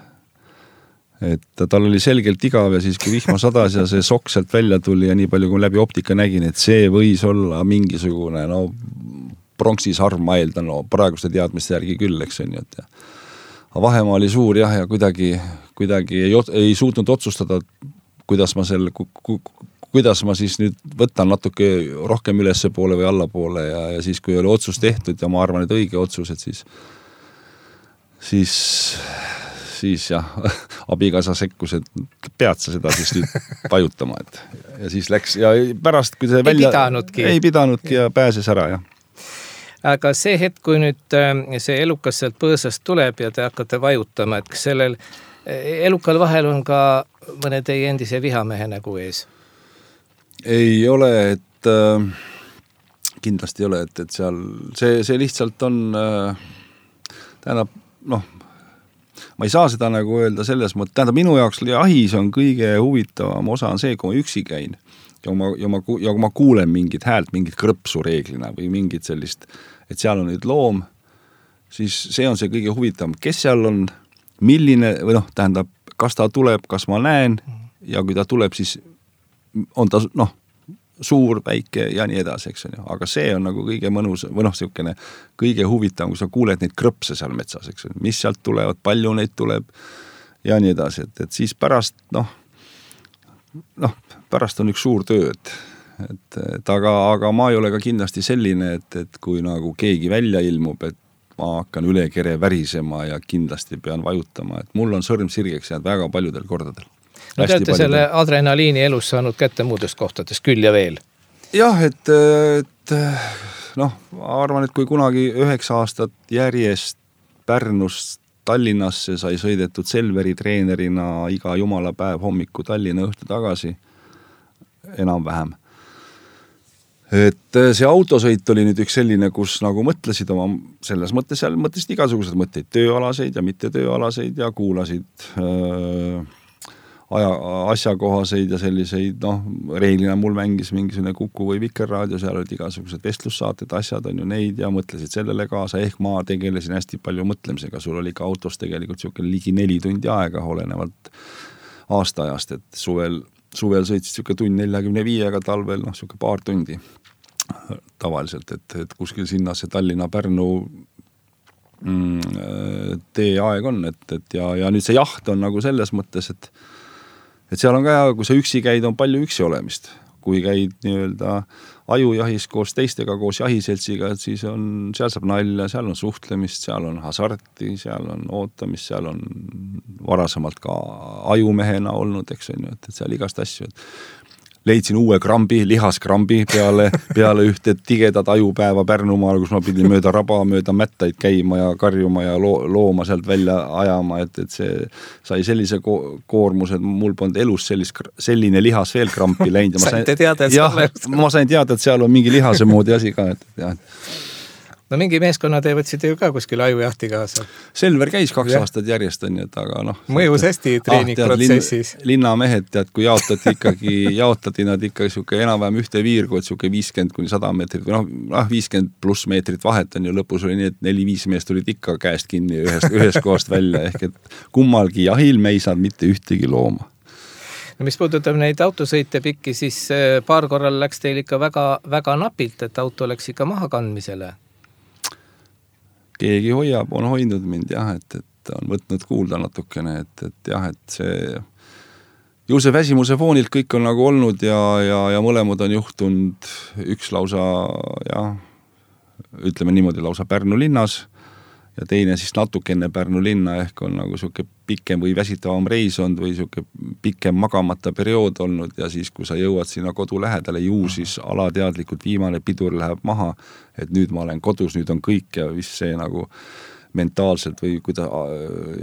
et tal oli selgelt igav ja siis kui vihma sadas ja see sokk sealt välja tuli ja nii palju kui läbi optika nägin, et see võis olla mingisugune no pronksisarv ma eeldan, no praeguste teadmiste järgi küll, eks on ju, et aga vahemaa oli suur jah ja kuidagi, kuidagi ei, ei suutnud otsustada, kuidas ma selle, kuidas ma siis nüüd võtan natuke rohkem ülesse poole või alla poole ja, ja siis, kui oli otsus tehtud ja ma arvan, et õige otsus, et siis siis, siis jah, abikaasa sekkus, et pead sa seda siis nüüd vajutama, et ja siis läks ja pärast, kui see välja... Ei pidanudki. Ei pidanudki ja pääses ära, jah. Aga see hetk, kui nüüd see elukas sealt põõsast tuleb ja te hakkate vajutama, et kas sellel elukal vahel on ka mõne teie endise vihamehe nägu ees? Ei ole, et äh, kindlasti ei ole, et, et seal see, see lihtsalt on äh, tähendab, noh, ma ei saa seda nagu öelda selles mõttes, tähendab minu jaoks jahis on kõige huvitavam osa on see, kui ma üksi käin ja ma, ja ma, ja kui ma kuulen mingit häält, mingit krõpsu reeglina või mingit sellist, et seal on nüüd loom, siis see on see kõige huvitavam, kes seal on, milline, või noh, tähendab, kas ta tuleb, kas ma näen ja kui ta tuleb, siis on ta, noh, suur, väike ja nii edasi, eks on ju. Aga see on nagu kõige mõnus, või noh, siukene kõige huvitavam, kui sa kuuled neid krõpse seal metsas, eks on ju. Mis sealt tulevad, palju neid tuleb ja nii edasi. Et, et siis pärast, noh, noh, pärast on üks suur töö, et, et, et aga, aga ma ei ole ka kindlasti selline, et, et kui nagu keegi välja ilmub, et ma hakkan üle kere värisema ja kindlasti pean vajutama, et mul on sõrm sirgeks jäänud väga paljudel kordadel. No te olete selle adrenaliini elus saanud kätte muudest kohtadest küll ja veel. Jah, et, et noh, ma arvan, et kui kunagi üheksa aastat järjest Pärnust Tallinnasse sai sõidetud Selveri treenerina iga jumala päev hommiku Tallinna õhtu tagasi, enam-vähem. Et see autosõit oli nüüd üks selline, kus nagu mõtlesid oma, selles mõttes seal mõtlesid igasugused mõtteid, tööalaseid ja mitte tööalaseid ja kuulasid öö, aja, asjakohaseid ja selliseid, noh, reeglina mul mängis mingisugune Kuku või Vikerraadio, seal olid igasugused vestlussaated, asjad on ju neid ja mõtlesid sellele kaasa, ehk ma tegelesin hästi palju mõtlemisega, sul oli ka autos tegelikult siukene ligi neli tundi aega olenevalt aastaajast, et suvel, suvel sõitsid siuke tund neljakümne viiega, talvel noh, siuke paar tundi tavaliselt, et, et kuskil sinna see Tallinna-Pärnu mm, tee aeg on, et, et ja, ja nüüd see jaht on nagu selles mõttes, et et seal on ka hea, kui sa üksi käid, on palju üksi olemist. Kui käid nii-öelda ajujahis koos teistega, koos jahiseltsiga, et siis on, seal saab nalja, seal on suhtlemist, seal on hasarti, seal on ootamist, seal on varasemalt ka ajumehena olnud, eks on ju, et, et seal igast asju. Leidsin uue krambi, lihaskrambi peale, peale ühte tigedat ajupäeva Pärnumaal, kus ma pidin mööda raba, mööda mättaid käima ja karjuma ja loo, looma sealt välja ajama, et, et see sai sellise ko- koormus, et mul polnud elus sellist, selline lihas veel krampi läinud. Ma sain, teada, jah, ma sain teada, et seal on mingi lihase moodi asi ka. Et, jah. No mingi meeskonna te võtsite ju ka kuskil ajujahti kaasa. Selver käis kaks ja. aastat järjest, on, et aga noh. Mõjus hästi treeningprotsessis. Ah, linna mehed, tead, kui jaotati ikkagi, jaotati nad ikkagi siuke enam-vähem ühte viirgu, et siuke viiskümmend kuni sada meetrit, või noh, viiskümmend pluss meetrit vahet on ju, lõpus oli nii, et neli-viis meest tulid ikka käest kinni ühest, ühest kohast välja, ehk et kummalgi jahil me ei saanud mitte ühtegi looma. No mis puudutab neid autosõite pikki, siis paar korral läks teil ikka väga, väga napilt, et auto läks ikka maha kandmisele. Keegi hoiab, on hoidnud mind jah, et, et on võtnud kuulda natukene, et, et jah, et see ju see väsimuse foonilt kõik on nagu olnud ja, ja, ja mõlemad on juhtunud üks lausa, jah, ütleme niimoodi lausa Pärnu linnas ja teine siis natuke enne Pärnu linna ehk on nagu siuke pikem või väsitavam reis olnud või siuke pikem magamata periood olnud ja siis, kui sa jõuad sinna kodu lähedale, ju siis alateadlikult viimane pidur läheb maha, et nüüd ma olen kodus, nüüd on kõik ja vist see nagu mentaalselt või kui ta,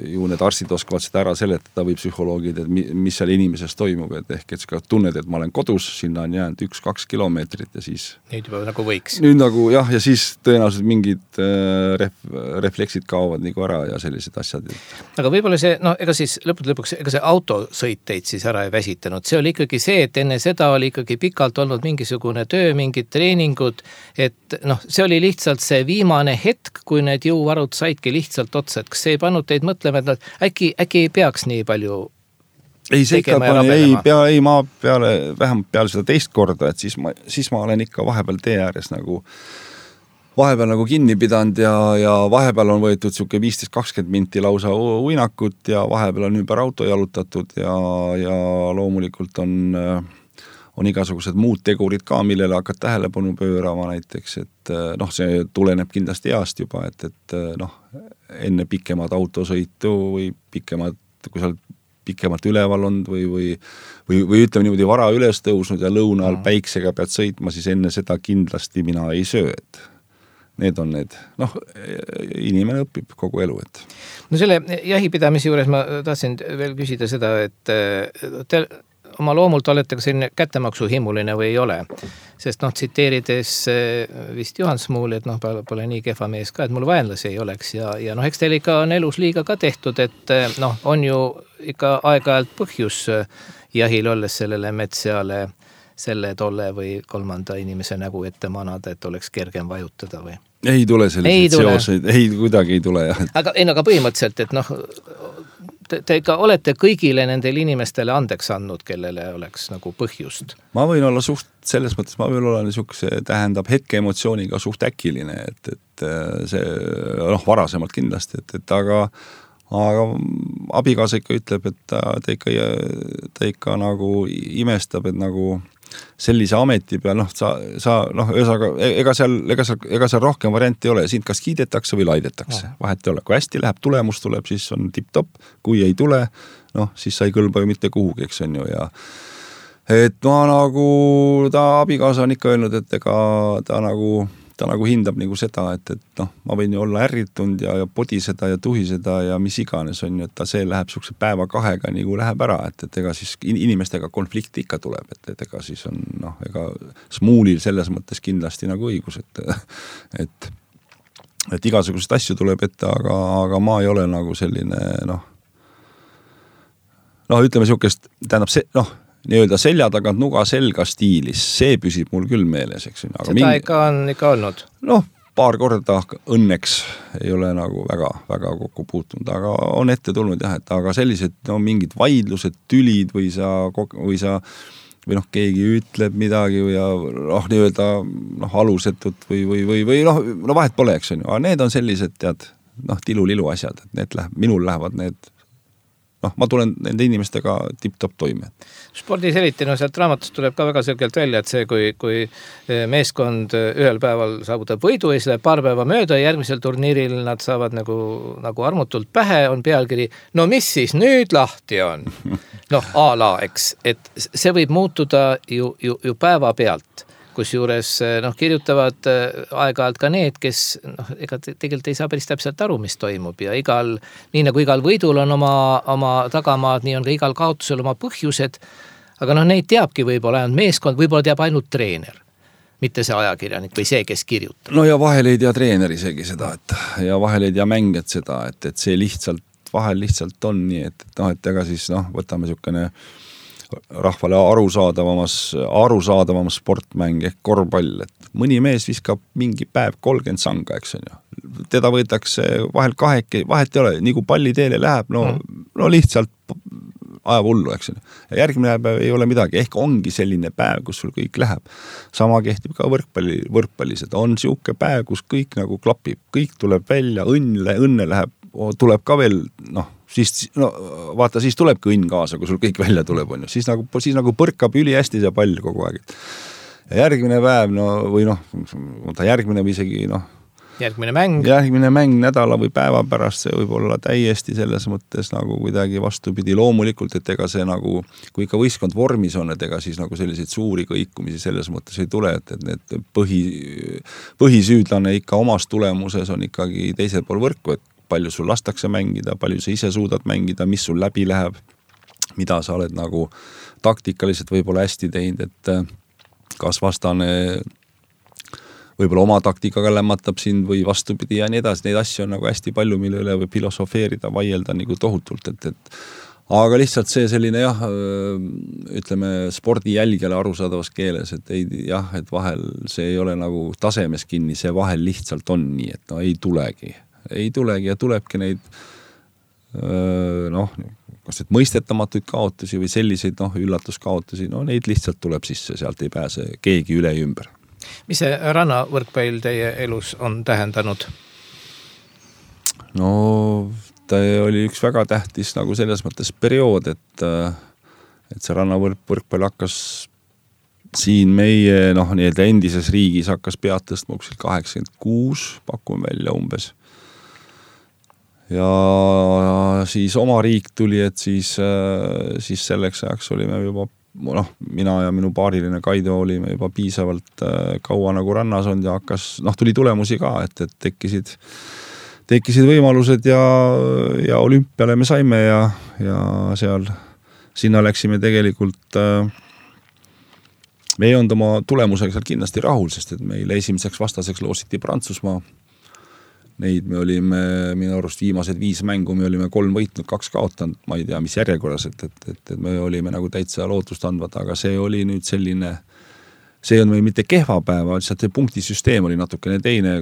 ju need arstid oskavad seda ära seletada või psühholoogid, et mis seal inimeses toimub, et ehk et sa tunned, et ma olen kodus, sinna on jäänud üks-kaks kilomeetrit ja siis nüüd juba nagu võiks. Nüüd nagu jah, ja siis tõenäoliselt mingid ref, refleksid kaovad nagu ära ja sellised asjad. Aga võib-olla see, no ega siis lõpud lõpuks, ega see autosõit teid siis ära ei väsitanud, see oli ikkagi see, et enne seda oli ikkagi pikalt olnud mingisugune töö, mingid treeningud, et noh, see oli lihtsalt see viimane hetk, kui need jõuvarud said lihtsalt otsa, et kas see ei pannud teid mõtlema, et äkki, äkki ei peaks nii palju ei, see ikka pani, ei, pea, ei, ma peale, vähemalt peale seda teist korda, et siis ma, siis ma olen ikka vahepeal tee ääres nagu vahepeal nagu kinni pidanud ja, ja vahepeal on võetud siuke viisteist kakskümmend minti lausa uinakut ja vahepeal on ümber auto jalutatud ja, ja loomulikult on on igasugused muud tegurid ka, millele hakkad tähelepanu pöörama näiteks, et noh, see tuleneb kindlasti east juba, et, et noh, enne pikemad autosõitu või pikemad, kui sa oled pikemalt üleval olnud või, või, või, või ütleme niimoodi vara üles tõusnud ja lõuna all päiksega pead sõitma, siis enne seda kindlasti mina ei söö, et need on need, noh, inimene õpib kogu elu, et. No selle jahipidamise juures ma tahtsin veel küsida seda, et te oma loomult olete ka selline kättemaksuhimuline või ei ole, sest noh, tsiteerides vist Juhan Smuuli, et noh, pole nii kehva mees ka, et mul vaenlasi ei oleks ja, ja noh, eks teil ikka on elus liiga ka tehtud, et noh, on ju ikka aeg-ajalt põhjus jahil olles sellele metsjale selle tolle või kolmanda inimese nägu ette manada, et oleks kergem vajutada või? Ei tule selliseid seoseid, ei kuidagi ei tule jah. Aga, ei, aga põhimõtteliselt, et noh, te, te ikka olete kõigile nendele inimestele andeks andnud, kellele oleks nagu põhjust. Ma võin olla suht, selles mõttes ma võin olla niisuguse, tähendab hetke emotsiooniga suht äkiline, et, et see, noh, varasemalt kindlasti, et, et aga aga abikaasa ikka ütleb, et ta, ta, ikka, ta ikka nagu imestab, et nagu sellise ameti peal, noh, sa, sa noh, ühesõnaga, ega seal, ega seal, ega seal rohkem varianti ei ole, sind kas kiidetakse või laidetakse, vahet ei ole, kui hästi läheb, tulemus tuleb, siis on tipp-top, kui ei tule, noh, siis sa ei kõlba ju mitte kuhugi, eks on ju, ja et ma nagu, ta abikaasa on ikka öelnud, et ega ta nagu ta nagu hindab nagu seda, et, et noh, ma võin ju olla ärritunud ja, ja podiseda ja tuhiseda ja mis iganes on ju, et ta see läheb sukse päeva kahega nagu läheb ära, et, et ega siis inimestega konflikti ikka tuleb, et, et ega siis on noh, ega Smuulil selles mõttes kindlasti nagu õigus, et et, et igasugused asju tuleb ette, aga, aga ma ei ole nagu selline noh noh, ütleme siukest, tähendab see, noh nii-öelda selja tagant nuga selga stiilis, see püsib mul küll meeles, eks. Seda mingi, ikka on ikka olnud? Noh, paar korda õnneks ei ole nagu väga, väga kokku puutunud, aga on ette tulnud jah, et aga sellised no, mingid vaidlused, tülid või sa, või sa või noh, keegi ütleb midagi või ja noh, nii-öelda noh, alusetut või, või, või, või noh, no vahet pole, eks on ju, aga need on sellised, tead, noh, tilu-lilu asjad, et need läheb, minul lähevad need noh, ma tulen nende inimestega tipp-top toime. Spordis eriti, no sealt raamatust tuleb ka väga selgelt välja, et see, kui, kui meeskond ühel päeval saavutab võidu ja siis läheb paar päeva mööda ja järgmisel turniiril nad saavad nagu, nagu armutult pähe, on pealkiri, no mis siis nüüd lahti on? Noh, a la, eks, et see võib muutuda ju, ju, ju päeva pealt. Kusjuures noh, kirjutavad aeg-ajalt ka need, kes noh, ega tegelikult ei saa päris täpselt aru, mis toimub ja igal, nii nagu igal võidul on oma, oma tagamaad, nii on ka igal kaotusel oma põhjused, aga noh, neid teabki võib-olla ainult meeskond, võib-olla teab ainult treener, mitte see ajakirjanik või see, kes kirjutab. No ja vahel ei tea treener isegi seda, et ja vahel ei tea mängijad seda, et, et see lihtsalt, vahel lihtsalt on nii, et, et noh, et ega siis noh, võtame niisugune rahvale arusaadavamas, arusaadavamas sportmäng ehk korvpall, et mõni mees viskab mingi päev kolmkümmend sanga, eks on ju. Teda võetakse vahel kaheke, vahet ei ole, nii kui palli teele läheb, no, no lihtsalt ajab hullu, eks on ju. Ja järgmine päev ei ole midagi, ehk ongi selline päev, kus sul kõik läheb. Sama kehtib ka võrkpalli, võrkpallis, et on siuke päev, kus kõik nagu klapib, kõik tuleb välja, õnne, õnne läheb, tuleb ka veel, noh, siis, no vaata, siis tulebki õnn kaasa, kui sul kõik välja tuleb, on ju. Siis nagu, siis nagu põrkab üli hästi see pall kogu aeg. Ja järgmine päev, no, või noh, järgmine või isegi, noh, järgmine mäng. Järgmine mäng nädala või päeva pärast, see võib olla täiesti selles mõttes nagu kuidagi vastupidi. Loomulikult, et ega see nagu, kui ikka võistkond vormis on, et ega siis nagu selliseid suuri kõikumisi selles mõttes ei tule, et, et need põhi, põhisüüdlane ikka omas tulemuses on ikkagi teisel pool võrku, et palju sul lastakse mängida, palju sa ise suudad mängida, mis sul läbi läheb, mida sa oled nagu taktikaliselt võib-olla hästi teinud, et kas vastane võib-olla oma taktikaga lämmatab sind või vastupidi ja nii edasi. Neid asju on nagu hästi palju, mille üle võib filosofeerida, vaielda nagu tohutult, et, et aga lihtsalt see selline jah, ütleme spordi jälgele arusaadavas keeles, et ei, jah, et vahel see ei ole nagu tasemes kinni, see vahel lihtsalt on nii, et no ei tulegi. ei tulegi ja tulebki neid noh, kas et mõistetamatuid kaotusi või selliseid noh, üllatuskaotusi, no neid lihtsalt tuleb sisse, sealt ei pääse keegi üle ja ümber. Mis see rannavõrkpall teie elus on tähendanud? No ta oli üks väga tähtis nagu selles mõttes periood, et, et see rannavõrkpall hakkas siin meie noh, nii-öelda endises riigis hakkas pead tõstma uksil kaheksakümmend kuus, pakun välja umbes. Ja siis oma riik tuli, et siis, siis selleks ajaks olime juba, noh, mina ja minu paariline Kaido olime juba piisavalt kaua nagu rannas olnud ja hakkas, noh, tuli tulemusi ka, et, et tekkisid tekkisid võimalused ja, ja olümpiale me saime ja, ja seal sinna läksime tegelikult äh, me ei olnud oma tulemusega seal kindlasti rahul, sest et meile esimeseks vastaseks loositi Prantsusmaa. Neid me olime minu arust viimased viis mängu, me olime kolm võitnud, kaks kaotanud, ma ei tea, mis järjekorras, et, et, et, et me olime nagu täitsa lootust andvad, aga see oli nüüd selline, see on meil mitte kehva päeva, lihtsalt see punktisüsteem oli natukene teine,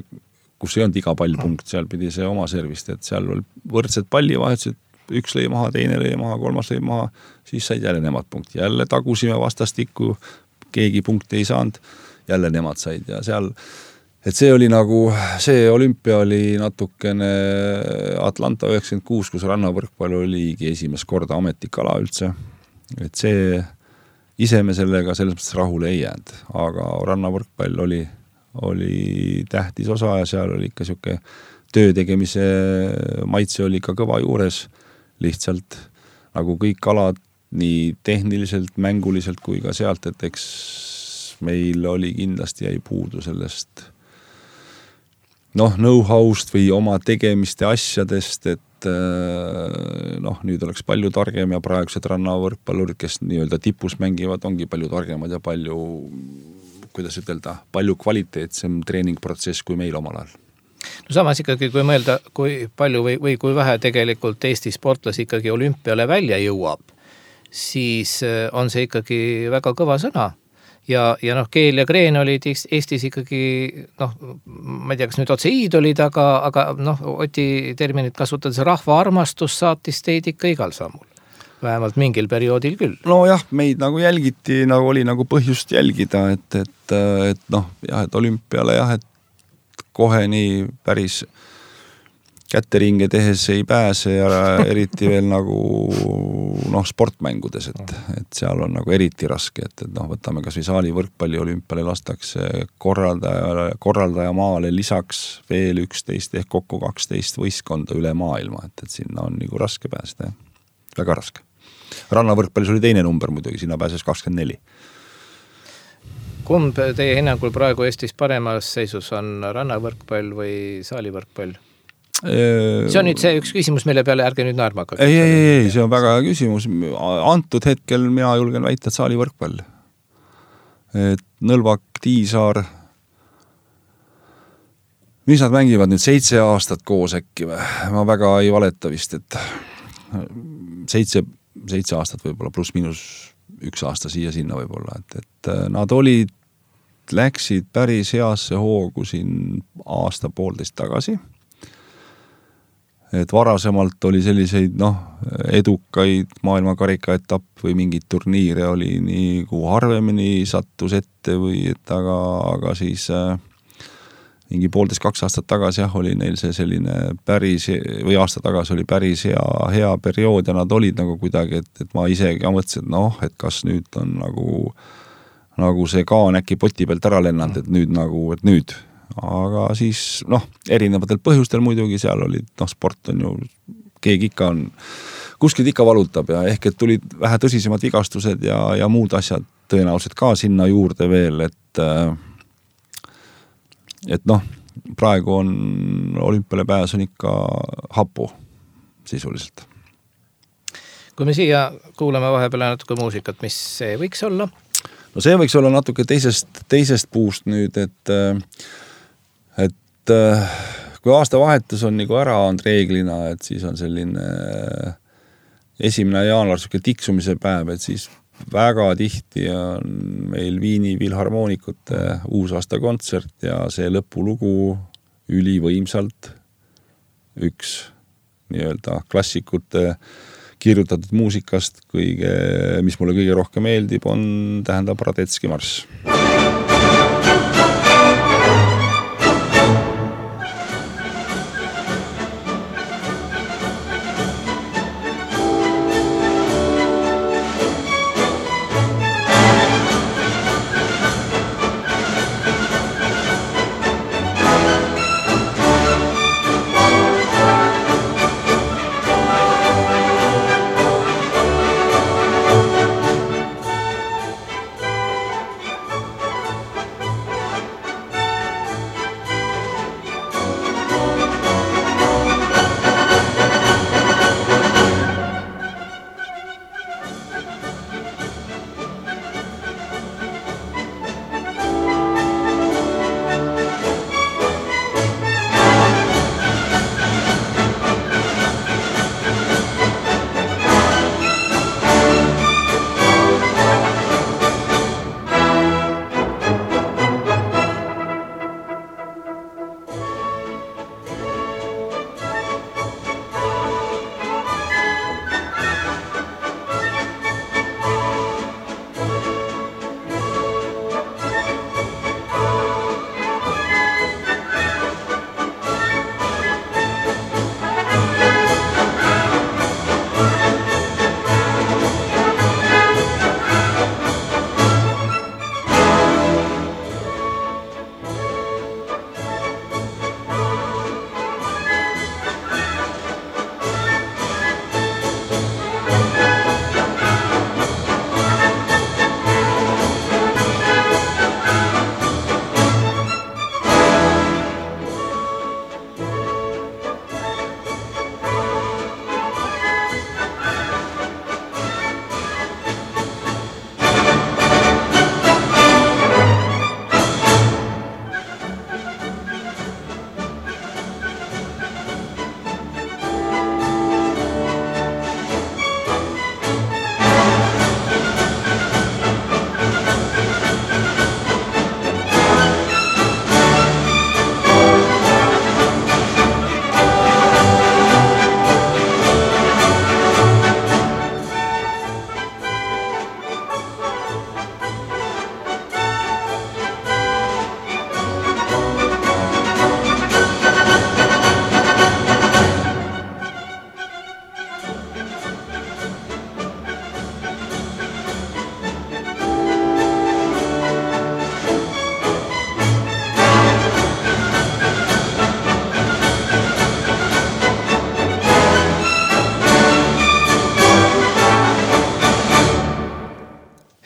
kus ei olnud iga pall punkt, seal pidi see oma servist, et seal oli võrdsed pallivahetused, üks lõi maha, teine lõi maha, kolmas lõi maha, siis said jälle nemad punkti. Jälle tagusime vastastikku, keegi punkti ei saanud, jälle nemad said ja seal, et see oli nagu, see olümpia oli natukene Atlanta üheksakümmend kuus, kus rannavõrkpall oligi esimest korda ametlik ala üldse. Et see, ise me sellega selles mõttes rahule ei jäänud, aga rannavõrkpall oli oli tähtis osa ja seal oli ikka siuke töö tegemise maitse oli ikka kõva juures lihtsalt nagu kõik alad nii tehniliselt, mänguliselt kui ka sealt, et eks meil oli kindlasti jäi puudu sellest noh, know-how'st või oma tegemiste asjadest, et noh, nüüd oleks palju targem ja praegused rannavõrkpallurid, kes nii-öelda tipus mängivad, ongi palju targemad ja palju kuidas ütelda, palju kvaliteetsem treeningprotsess kui meil omal ajal. No samas ikkagi, kui mõelda, kui palju või, või kui vähe tegelikult Eesti sportlasi ikkagi olümpiale välja jõuab, siis on see ikkagi väga kõva sõna. Ja, ja noh, Keel ja Kreen olid Eestis ikkagi, noh, ma ei tea, kas nüüd otse iidolid, aga, aga noh, Oti terminit kasutades rahva armastus saatis teid ikka igal sammul. Vähemalt mingil perioodil küll. No jah, meid nagu jälgiti, nagu oli nagu põhjust jälgida, et, et, et noh, jah, et olümpiale jah, et kohe nii päris kätteringe tehes ei pääse ja eriti veel nagu noh, sportmängudes, et, et seal on nagu eriti raske, et, et noh, võtame kas või saali võrkpalli olümpiale lastakse korraldaja, korraldaja maale lisaks veel üksteist ehk kokku kaksteist võistkonda üle maailma, et, et sinna on nagu raske pääseda, väga raske. Rannavõrkpallis oli teine number muidugi, sinna pääses kakskümmend neli. Kumb teie hinnangul praegu Eestis paremas seisus on rannavõrkpall või saalivõrkpall? See on nüüd see üks küsimus, mille peale ärge nüüd naerma hakka. Ei, ei, ei, see on väga hea küsimus. Antud hetkel mina julgen väita, et saalivõrkpall. Et Nõlvak, Tiisaar, mis nad mängivad nüüd seitse aastat koos äkki või? Ma väga ei valeta vist, et seitse seitse aastat võib-olla, pluss miinus üks aasta siia sinna võib-olla, et, et nad olid, läksid päris heasse hoogu siin aasta poolteist tagasi. Et varasemalt oli selliseid noh, edukaid maailmakarika etapp või mingid turniire oli nii kui harvemini sattus ette või et aga, aga siis äh, mingi poolteist kaks aastat tagasi jah, oli neil see selline päris, või aasta tagasi oli päris hea, hea periood ja nad olid nagu kuidagi, et, et ma ise ka mõtlesin, et noh, et kas nüüd on nagu, nagu see kaan äkki poti pealt ära lennanud, et nüüd nagu, et nüüd. Aga siis noh, erinevatel põhjustel muidugi seal olid, noh, sport on ju, keegi ikka on, kuskilt ikka valutab ja ehk et tulid vähe tõsisemad vigastused ja, ja muud asjad tõenäoliselt ka sinna juurde veel, et et noh, praegu on olümpiale pääs on ikka hapu sisuliselt. Kui me siia kuulame vahepeal natuke muusikat, mis see võiks olla? No see võiks olla natuke teisest, teisest puust nüüd, et et kui aasta vahetus on nagu ära on reeglina, et siis on selline esimene jaanuar siuke tiksumise päev, et siis väga tihti on meil Viini Filharmoonikute uusaasta kontsert ja see lõpulugu ülivõimsalt üks nii-öelda klassikute kirjutatud muusikast, kõige, mis mulle kõige rohkem meeldib, on tähendab Radetski marss.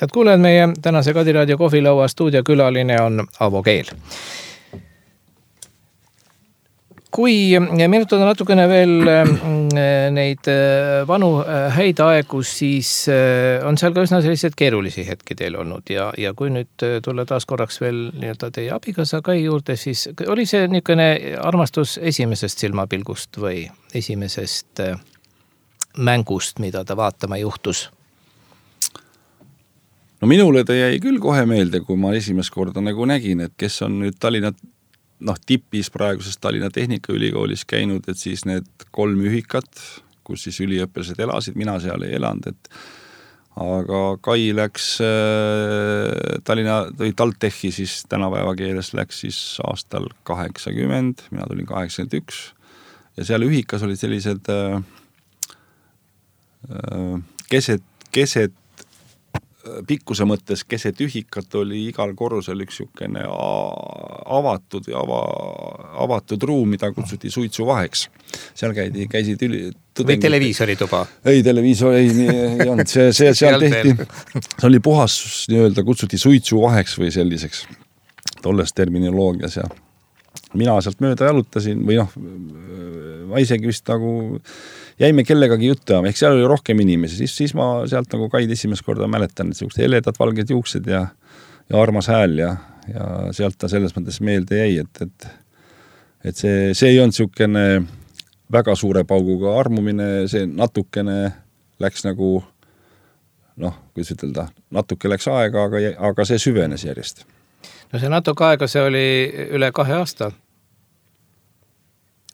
head kuulajad, meie tänase Kadiraadio kohvilaua stuudiokülaline on Avo Keel. Kui meenutada natukene veel neid vanu häid aegu, siis on seal ka üsna sellised keerulisi hetki teil olnud ja, ja kui nüüd tulla taas korraks veel nii-öelda teie abikaasa Kai juurde, siis oli see niisugune armastus esimesest silmapilgust või esimesest mängust, mida ta vaatama juhtus? No minule ta jäi küll kohe meelde, kui ma esimest korda nagu nägin, et kes on nüüd Tallinna noh, tipis praegusest Tallinna Tehnikaülikoolis käinud, et siis need kolm ühikat, kus siis üliõpilased elasid, mina seal ei elanud, et aga Kai läks äh, Tallinna, või TalTechi siis tänapäeva keeles läks siis aastal kaheksakümmend, mina tulin kaheksakümmend üks ja seal ühikas olid sellised äh, äh, keset, keset pikkuse mõttes keset ühikat oli igal korrusel üks niisugune avatud ja ava, avatud ruum, mida kutsuti suitsuvaheks. Seal käidi, käisid üli... Või televiisorituba? Ei, televiisor ei, ei, ei olnud. See, see, seal tehti, see oli puhas nii-öelda, kutsuti suitsuvaheks või selliseks tolles terminoloogias ja mina sealt mööda jalutasin või noh, ma isegi vist nagu jäime kellegagi juttu ja ehk seal oli rohkem inimesi, siis, siis ma sealt nagu Kaid esimest korda mäletan, et sellised heledad valged juuksed ja, ja armas hääl ja, ja sealt ta selles mõttes meelde jäi, et, et, et see, see ei olnud niisugune väga suure pauguga armumine, see natukene läks nagu noh, kuidas ütelda, natuke läks aega, aga, aga see süvenes järjest. No see natuke aega, see oli üle kahe aasta,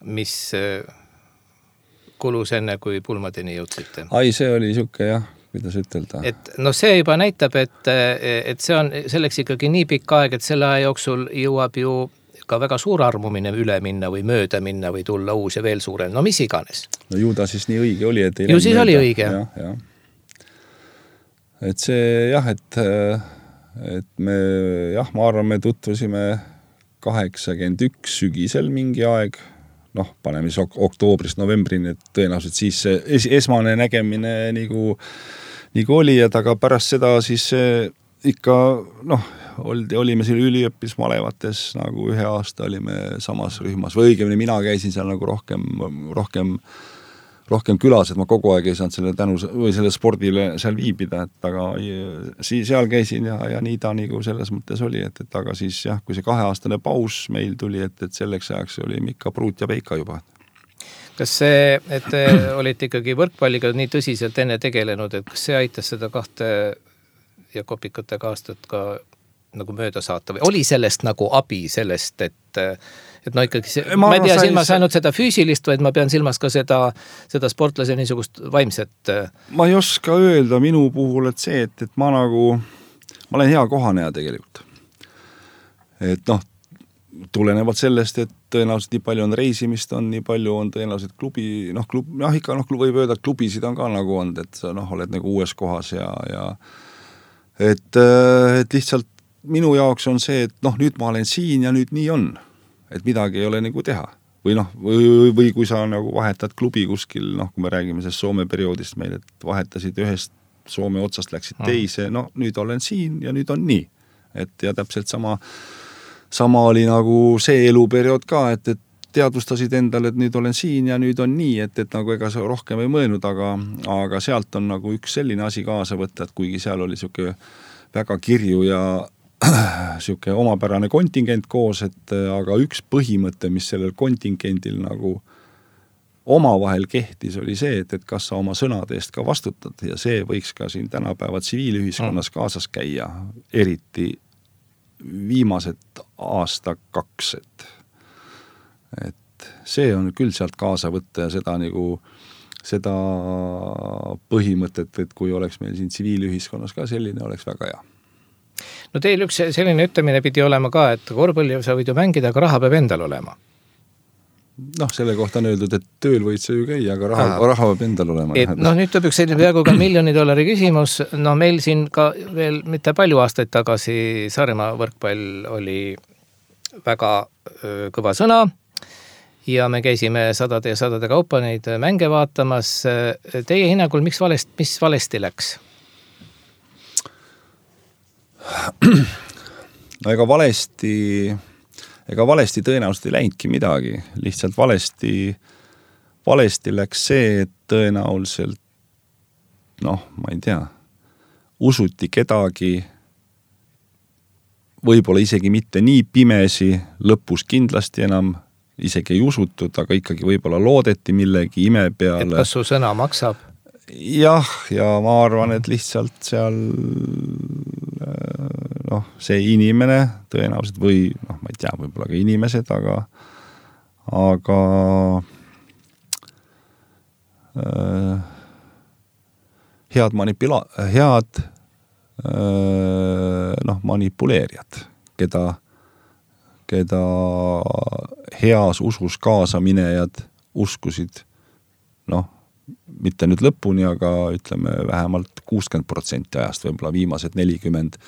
mis kulus enne, kui pulmadeni jõudsite. Ai, see oli niisugune jah, kuidas ütelda. Et no see juba näitab, et, et see on selleks ikkagi nii pikk aeg, et selle aja jooksul jõuab ju ka väga suur armumine üle minna või mööda minna või tulla uus ja veel suurem, no mis iganes. No ju ta siis nii õige oli, et ei ju siis mööda. Oli õige. Ja, ja. Et see jah, et, et me jah, ma arvan, me tutvusime kaheksakümmend üks sügisel mingi aeg, noh, paneme siis ok- oktoobrist novembrini, et tõenäoliselt siis es- esmane nägemine nagu, nagu oli, et aga pärast seda siis ikka, noh, oldi, olime seal üliõppismalevates, nagu ühe aasta olime samas rühmas, või õigemini mina käisin seal nagu rohkem, rohkem, rohkem külas, et ma kogu aeg ei saanud selle tänu või selle spordile seal viibida, et aga siis seal käisin ja, ja nii ta nagu selles mõttes oli, et, et aga siis jah, kui see kaheaastane paus meil tuli, et, et selleks ajaks oli ikka pruut ja peika juba. Kas see, et te olite ikkagi võrkpalliga nii tõsiselt enne tegelenud, et kas see aitas seda kahte ja kopikatega aastat ka nagu mööda saata või oli sellest nagu abi sellest, et et no ikkagi see, ma, ma ei pea silmas ainult seda füüsilist, vaid ma pean silmas ka seda, seda sportlase niisugust vaimset. Ma ei oska öelda minu puhul, et see, et, et ma nagu, ma olen hea kohaneja tegelikult. Et noh, tulenevalt sellest, et tõenäoliselt nii palju on reisimist, on nii palju on tõenäoliselt klubi, noh, klub, noh ikka noh, võib öelda, et klubisid on ka nagu on, et sa noh, oled nagu uues kohas ja, ja et, et lihtsalt minu jaoks on see, et noh, nüüd ma olen siin ja nüüd nii on. Et midagi ei ole nagu teha. Või noh, või, või kui sa nagu vahetad klubi kuskil, noh, kui me räägime sellest Soome perioodist meil, et vahetasid ühest Soome otsast, läksid teise, no nüüd olen siin ja nüüd on nii. Et ja täpselt sama, sama oli nagu see eluperiood ka, et, et teadvustasid endale, et nüüd olen siin ja nüüd on nii, et, et nagu ega sa rohkem ei mõelnud, aga, aga sealt on nagu üks selline asi kaasa võtta, et kuigi seal oli siuke väga kirju ja siuke omapärane kontingent koos, et aga üks põhimõte, mis sellel kontingendil nagu omavahel kehtis, oli see, et, et kas sa oma sõnade eest ka vastutad ja see võiks ka siin tänapäeva tsiviilühiskonnas kaasas käia, eriti viimased aasta kaks, et, et see on küll sealt kaasa võtta ja seda nagu seda põhimõtet, et kui oleks meil siin tsiviilühiskonnas ka selline, oleks väga hea. No teil üks selline ütlemine pidi olema ka, et korvpalli sa võid ju mängida, aga raha peab endal olema. Noh, selle kohta on öeldud, et tööl võid sa ju käia, aga raha, raha peab endal olema. Et, noh, nüüd tuleb üks selline peaaegu ka miljoni dollari küsimus. No meil siin ka veel mitte palju aastaid tagasi Saaremaa võrkpall oli väga öö, kõva sõna ja me käisime sadade ja sadade kaupa neid mänge vaatamas. Teie hinnangul, miks valest, mis valesti läks? no ega valesti, ega valesti tõenäoliselt ei läinudki midagi, lihtsalt valesti, valesti läks see, et tõenäoliselt, noh, ma ei tea, usuti kedagi, võib-olla isegi mitte nii pimesi, lõpus kindlasti enam isegi ei usutud, aga ikkagi võib-olla loodeti millegi ime peale. Et kas su sõna maksab? Jah, ja ma arvan, et lihtsalt seal noh, see inimene tõenäoliselt või noh, ma ei tea, võib-olla ka inimesed, aga aga äh, head manipula-, head äh, noh, manipuleerijad, keda keda heas usus kaasaminejad uskusid, noh, mitte nüüd lõpuni, aga ütleme vähemalt kuuskümmend protsenti ajast, võib-olla viimased nelikümmend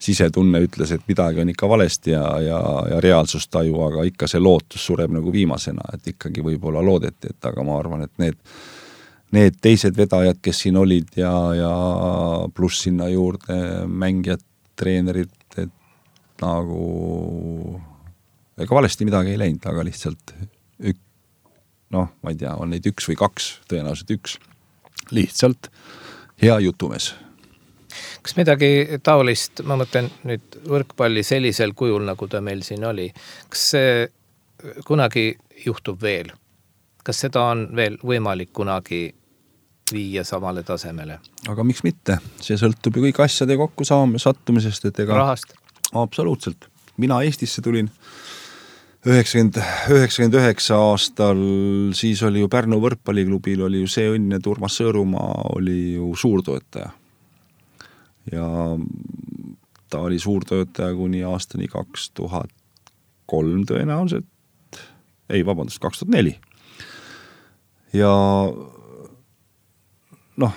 sisetunne ütles, et midagi on ikka valesti ja, ja, ja reaalsustaju, aga ikka see lootus sureb nagu viimasena, et ikkagi võib-olla loodeti, et aga ma arvan, et need, need teised vedajad, kes siin olid ja, ja pluss sinna juurde mängijad, treenerid, et nagu ega valesti midagi ei läinud, aga lihtsalt ük, noh, ma ei tea, on neid üks või kaks, tõenäoliselt üks, lihtsalt hea jutumees. Kas midagi taolist, ma mõtlen nüüd võrkpalli sellisel kujul, nagu ta meil siin oli, kas see kunagi juhtub veel? Kas seda on veel võimalik kunagi viia samale tasemele? Aga miks mitte? See sõltub ju kõik asjade kokku saame sattumisest, et ega... Rahast? Absoluutselt. Mina Eestisse tulin üheksakümmend, üheksakümmend üheksa aastal, siis oli ju Pärnu võrkpalliklubil oli ju see õnn, et Urmas Sõõrumaa oli ju suurtoetaja. Ja ta oli suurtoetaja kuni aastani kaks tuhat kolm tõenäoliselt. Ei, vabandust, kaks tuhat neli. Ja noh,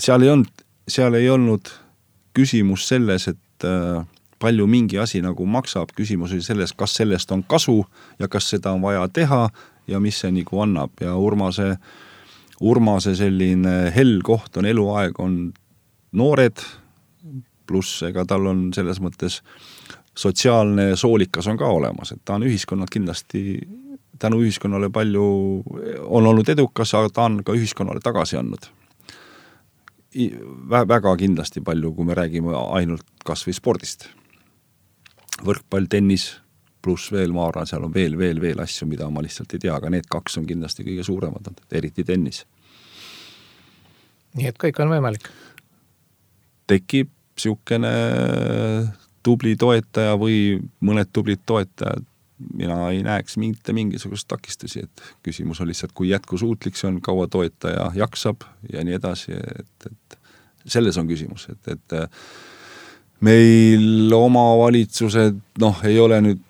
seal ei olnud, seal ei olnud küsimus selles, et palju mingi asi nagu maksab, küsimus oli selles, kas sellest on kasu ja kas seda on vaja teha ja mis see nagu annab. Ja Urmase, Urmase selline hell koht on eluaeg, on noored, pluss ega tal on selles mõttes sotsiaalne soolikas on ka olemas, et ta on ühiskonnad kindlasti, tänu ühiskonnale palju on olnud edukas, aga ta on ka ühiskonnale tagasi andnud. Väga kindlasti palju, kui me räägime ainult kas või spordist. Võrkpall, tennis, pluss veel, ma arvan, seal on veel, veel, veel asju, mida ma lihtsalt ei tea, aga need kaks on kindlasti kõige suuremad, eriti tennis. Nii et kõik on võimalik? Tekib siukene tubli toetaja või mõned tublid toetajad, mina ei näeks mitte mingisugust takistusi, et küsimus on lihtsalt, kui jätkusuutlik see on, kaua toetaja jaksab ja nii edasi, et, et selles on küsimus, et, et meil omavalitsused, noh, ei ole nüüd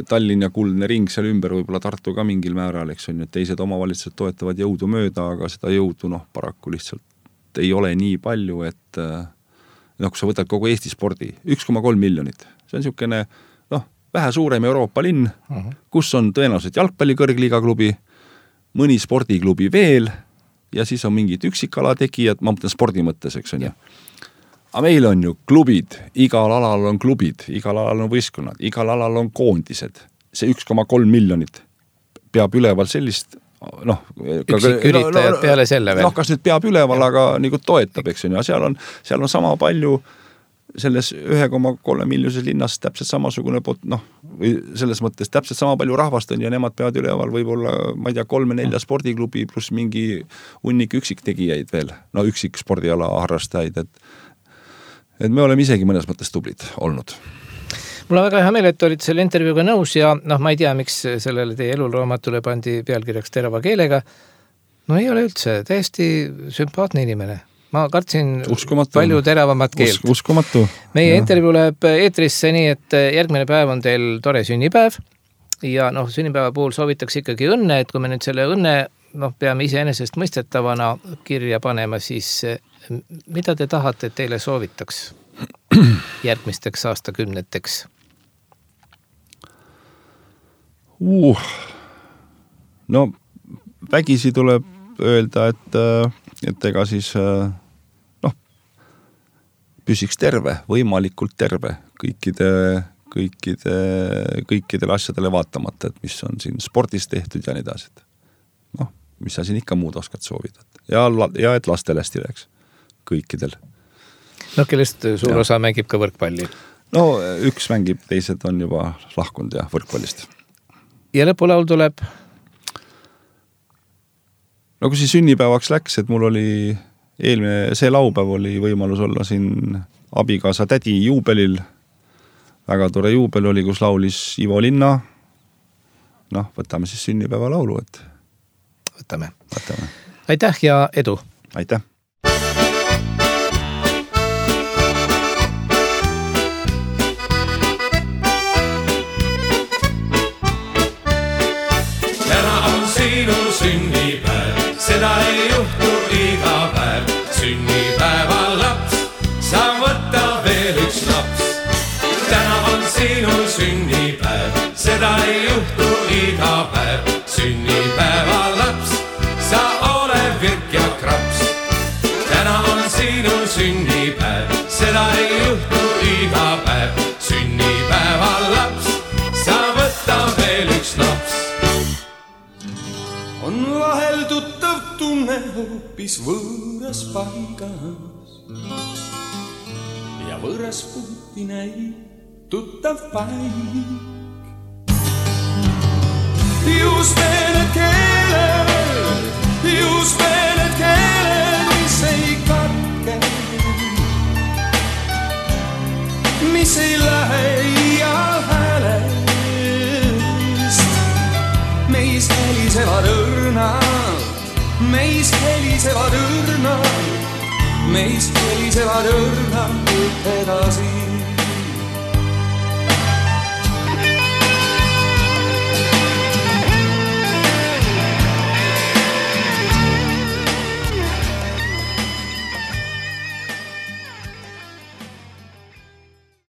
Tallinn ja Kuldne ring seal ümber, võib-olla Tartu ka mingil määral, eks on, et teised omavalitsused toetavad jõudu mööda, aga seda jõudu, noh, paraku lihtsalt ei ole nii palju, et noh, kui sa võtad kogu Eesti spordi, üks koma kolm miljonit, see on niisugune, noh, vähe suurem Euroopa linn, uh-huh. kus on tõenäoliselt jalgpalli kõrgliiga klubi, mõni spordiklubi veel ja siis on mingid üksikala tegijad, ma mõtlen spordi mõttes, eks on ju. Aga meil on ju klubid, igal alal on klubid, igal alal on võistkonnad, igal alal on koondised. See üks koma kolm miljonit peab üleval sellist, noh... Üksiküritajad peale selle veel. Noh, kas nüüd peab üleval, aga nagu toetab, eks on ju. Seal on, seal on sama palju selles üks koma kolm miljonises linnas täpselt samasugune, noh, või selles mõttes täpselt sama palju rahvast on ja nemad peavad üleval võib-olla, ma ei tea, kolme-nelja spordiklubi pluss mingi hunnik üksiktegijaid veel, no üksik spordiala harrastajaid, et et me oleme isegi mõnes mõttes tublid olnud. Mul on väga hea meel, et olid selle intervjuuga nõus ja noh, ma ei tea, miks sellele teie eluraamatule pandi pealkirjaks terava keelega. No ei ole üldse, täiesti sümpaatne inimene. Ma kartsin uskumatu. Palju teravamat keelt. Us, uskumatu. Meie ja. Intervjuu läheb eetrisse nii, et järgmine päev on teil tore sünnipäev ja noh, sünnipäeva puhul soovitaks ikkagi õnne, et kui me nüüd selle õnne noh, peame iseenesest mõistetavana kirja panema, siis mida te tahate, et teile soovitaks järgmisteks aastakümneteks? Uh, no vägisi tuleb öelda, et, et ega siis noh, püsiks terve, võimalikult terve kõikide, kõikide, kõikidele asjadele vaatamata, et mis on siin spordis tehtud ja nii edasi. Noh, mis sa siin ikka muud oskad soovida. Ja, ja et lastele hästi läheks kõikidel. No kellest suur ja. Osa mängib ka võrkpalli? No üks mängib, teised on juba lahkunud ja võrkpallist. Ja lõpulaul tuleb? No kui see sünnipäevaks läks, et mul oli eelmine, see laupäev oli võimalus olla siin abikaasa tädi juubelil. Väga tore juubel oli, kus laulis Ivo Linna. Noh, võtame siis sünnipäeva laulu, et võtame. võtame. Aitäh ja edu! Aitäh! Täna on sinu sünnipäev, seda ei juhtu iga päev. Sünnipäeval laps, sa võta veel üks laps. Täna on sinu sünnipäev, seda ei juhtu iga päev. Sünnipäeval laps, sa ole virk ja kraps. Täna on sinu sünnipäev, seda ei juhtu iga päev. Sünnipäeval laps, sa võta veel üks laps. On vahel tuttav tunne hoopis võõras paigas ja võõras puuti näib tuttav paik. Just need keeled, just need keeled, mis ei katke, mis ei lähe iial häälest. Meis helisevad õrnad, meis helisevad õrnad, meis helisevad õrnad edasi.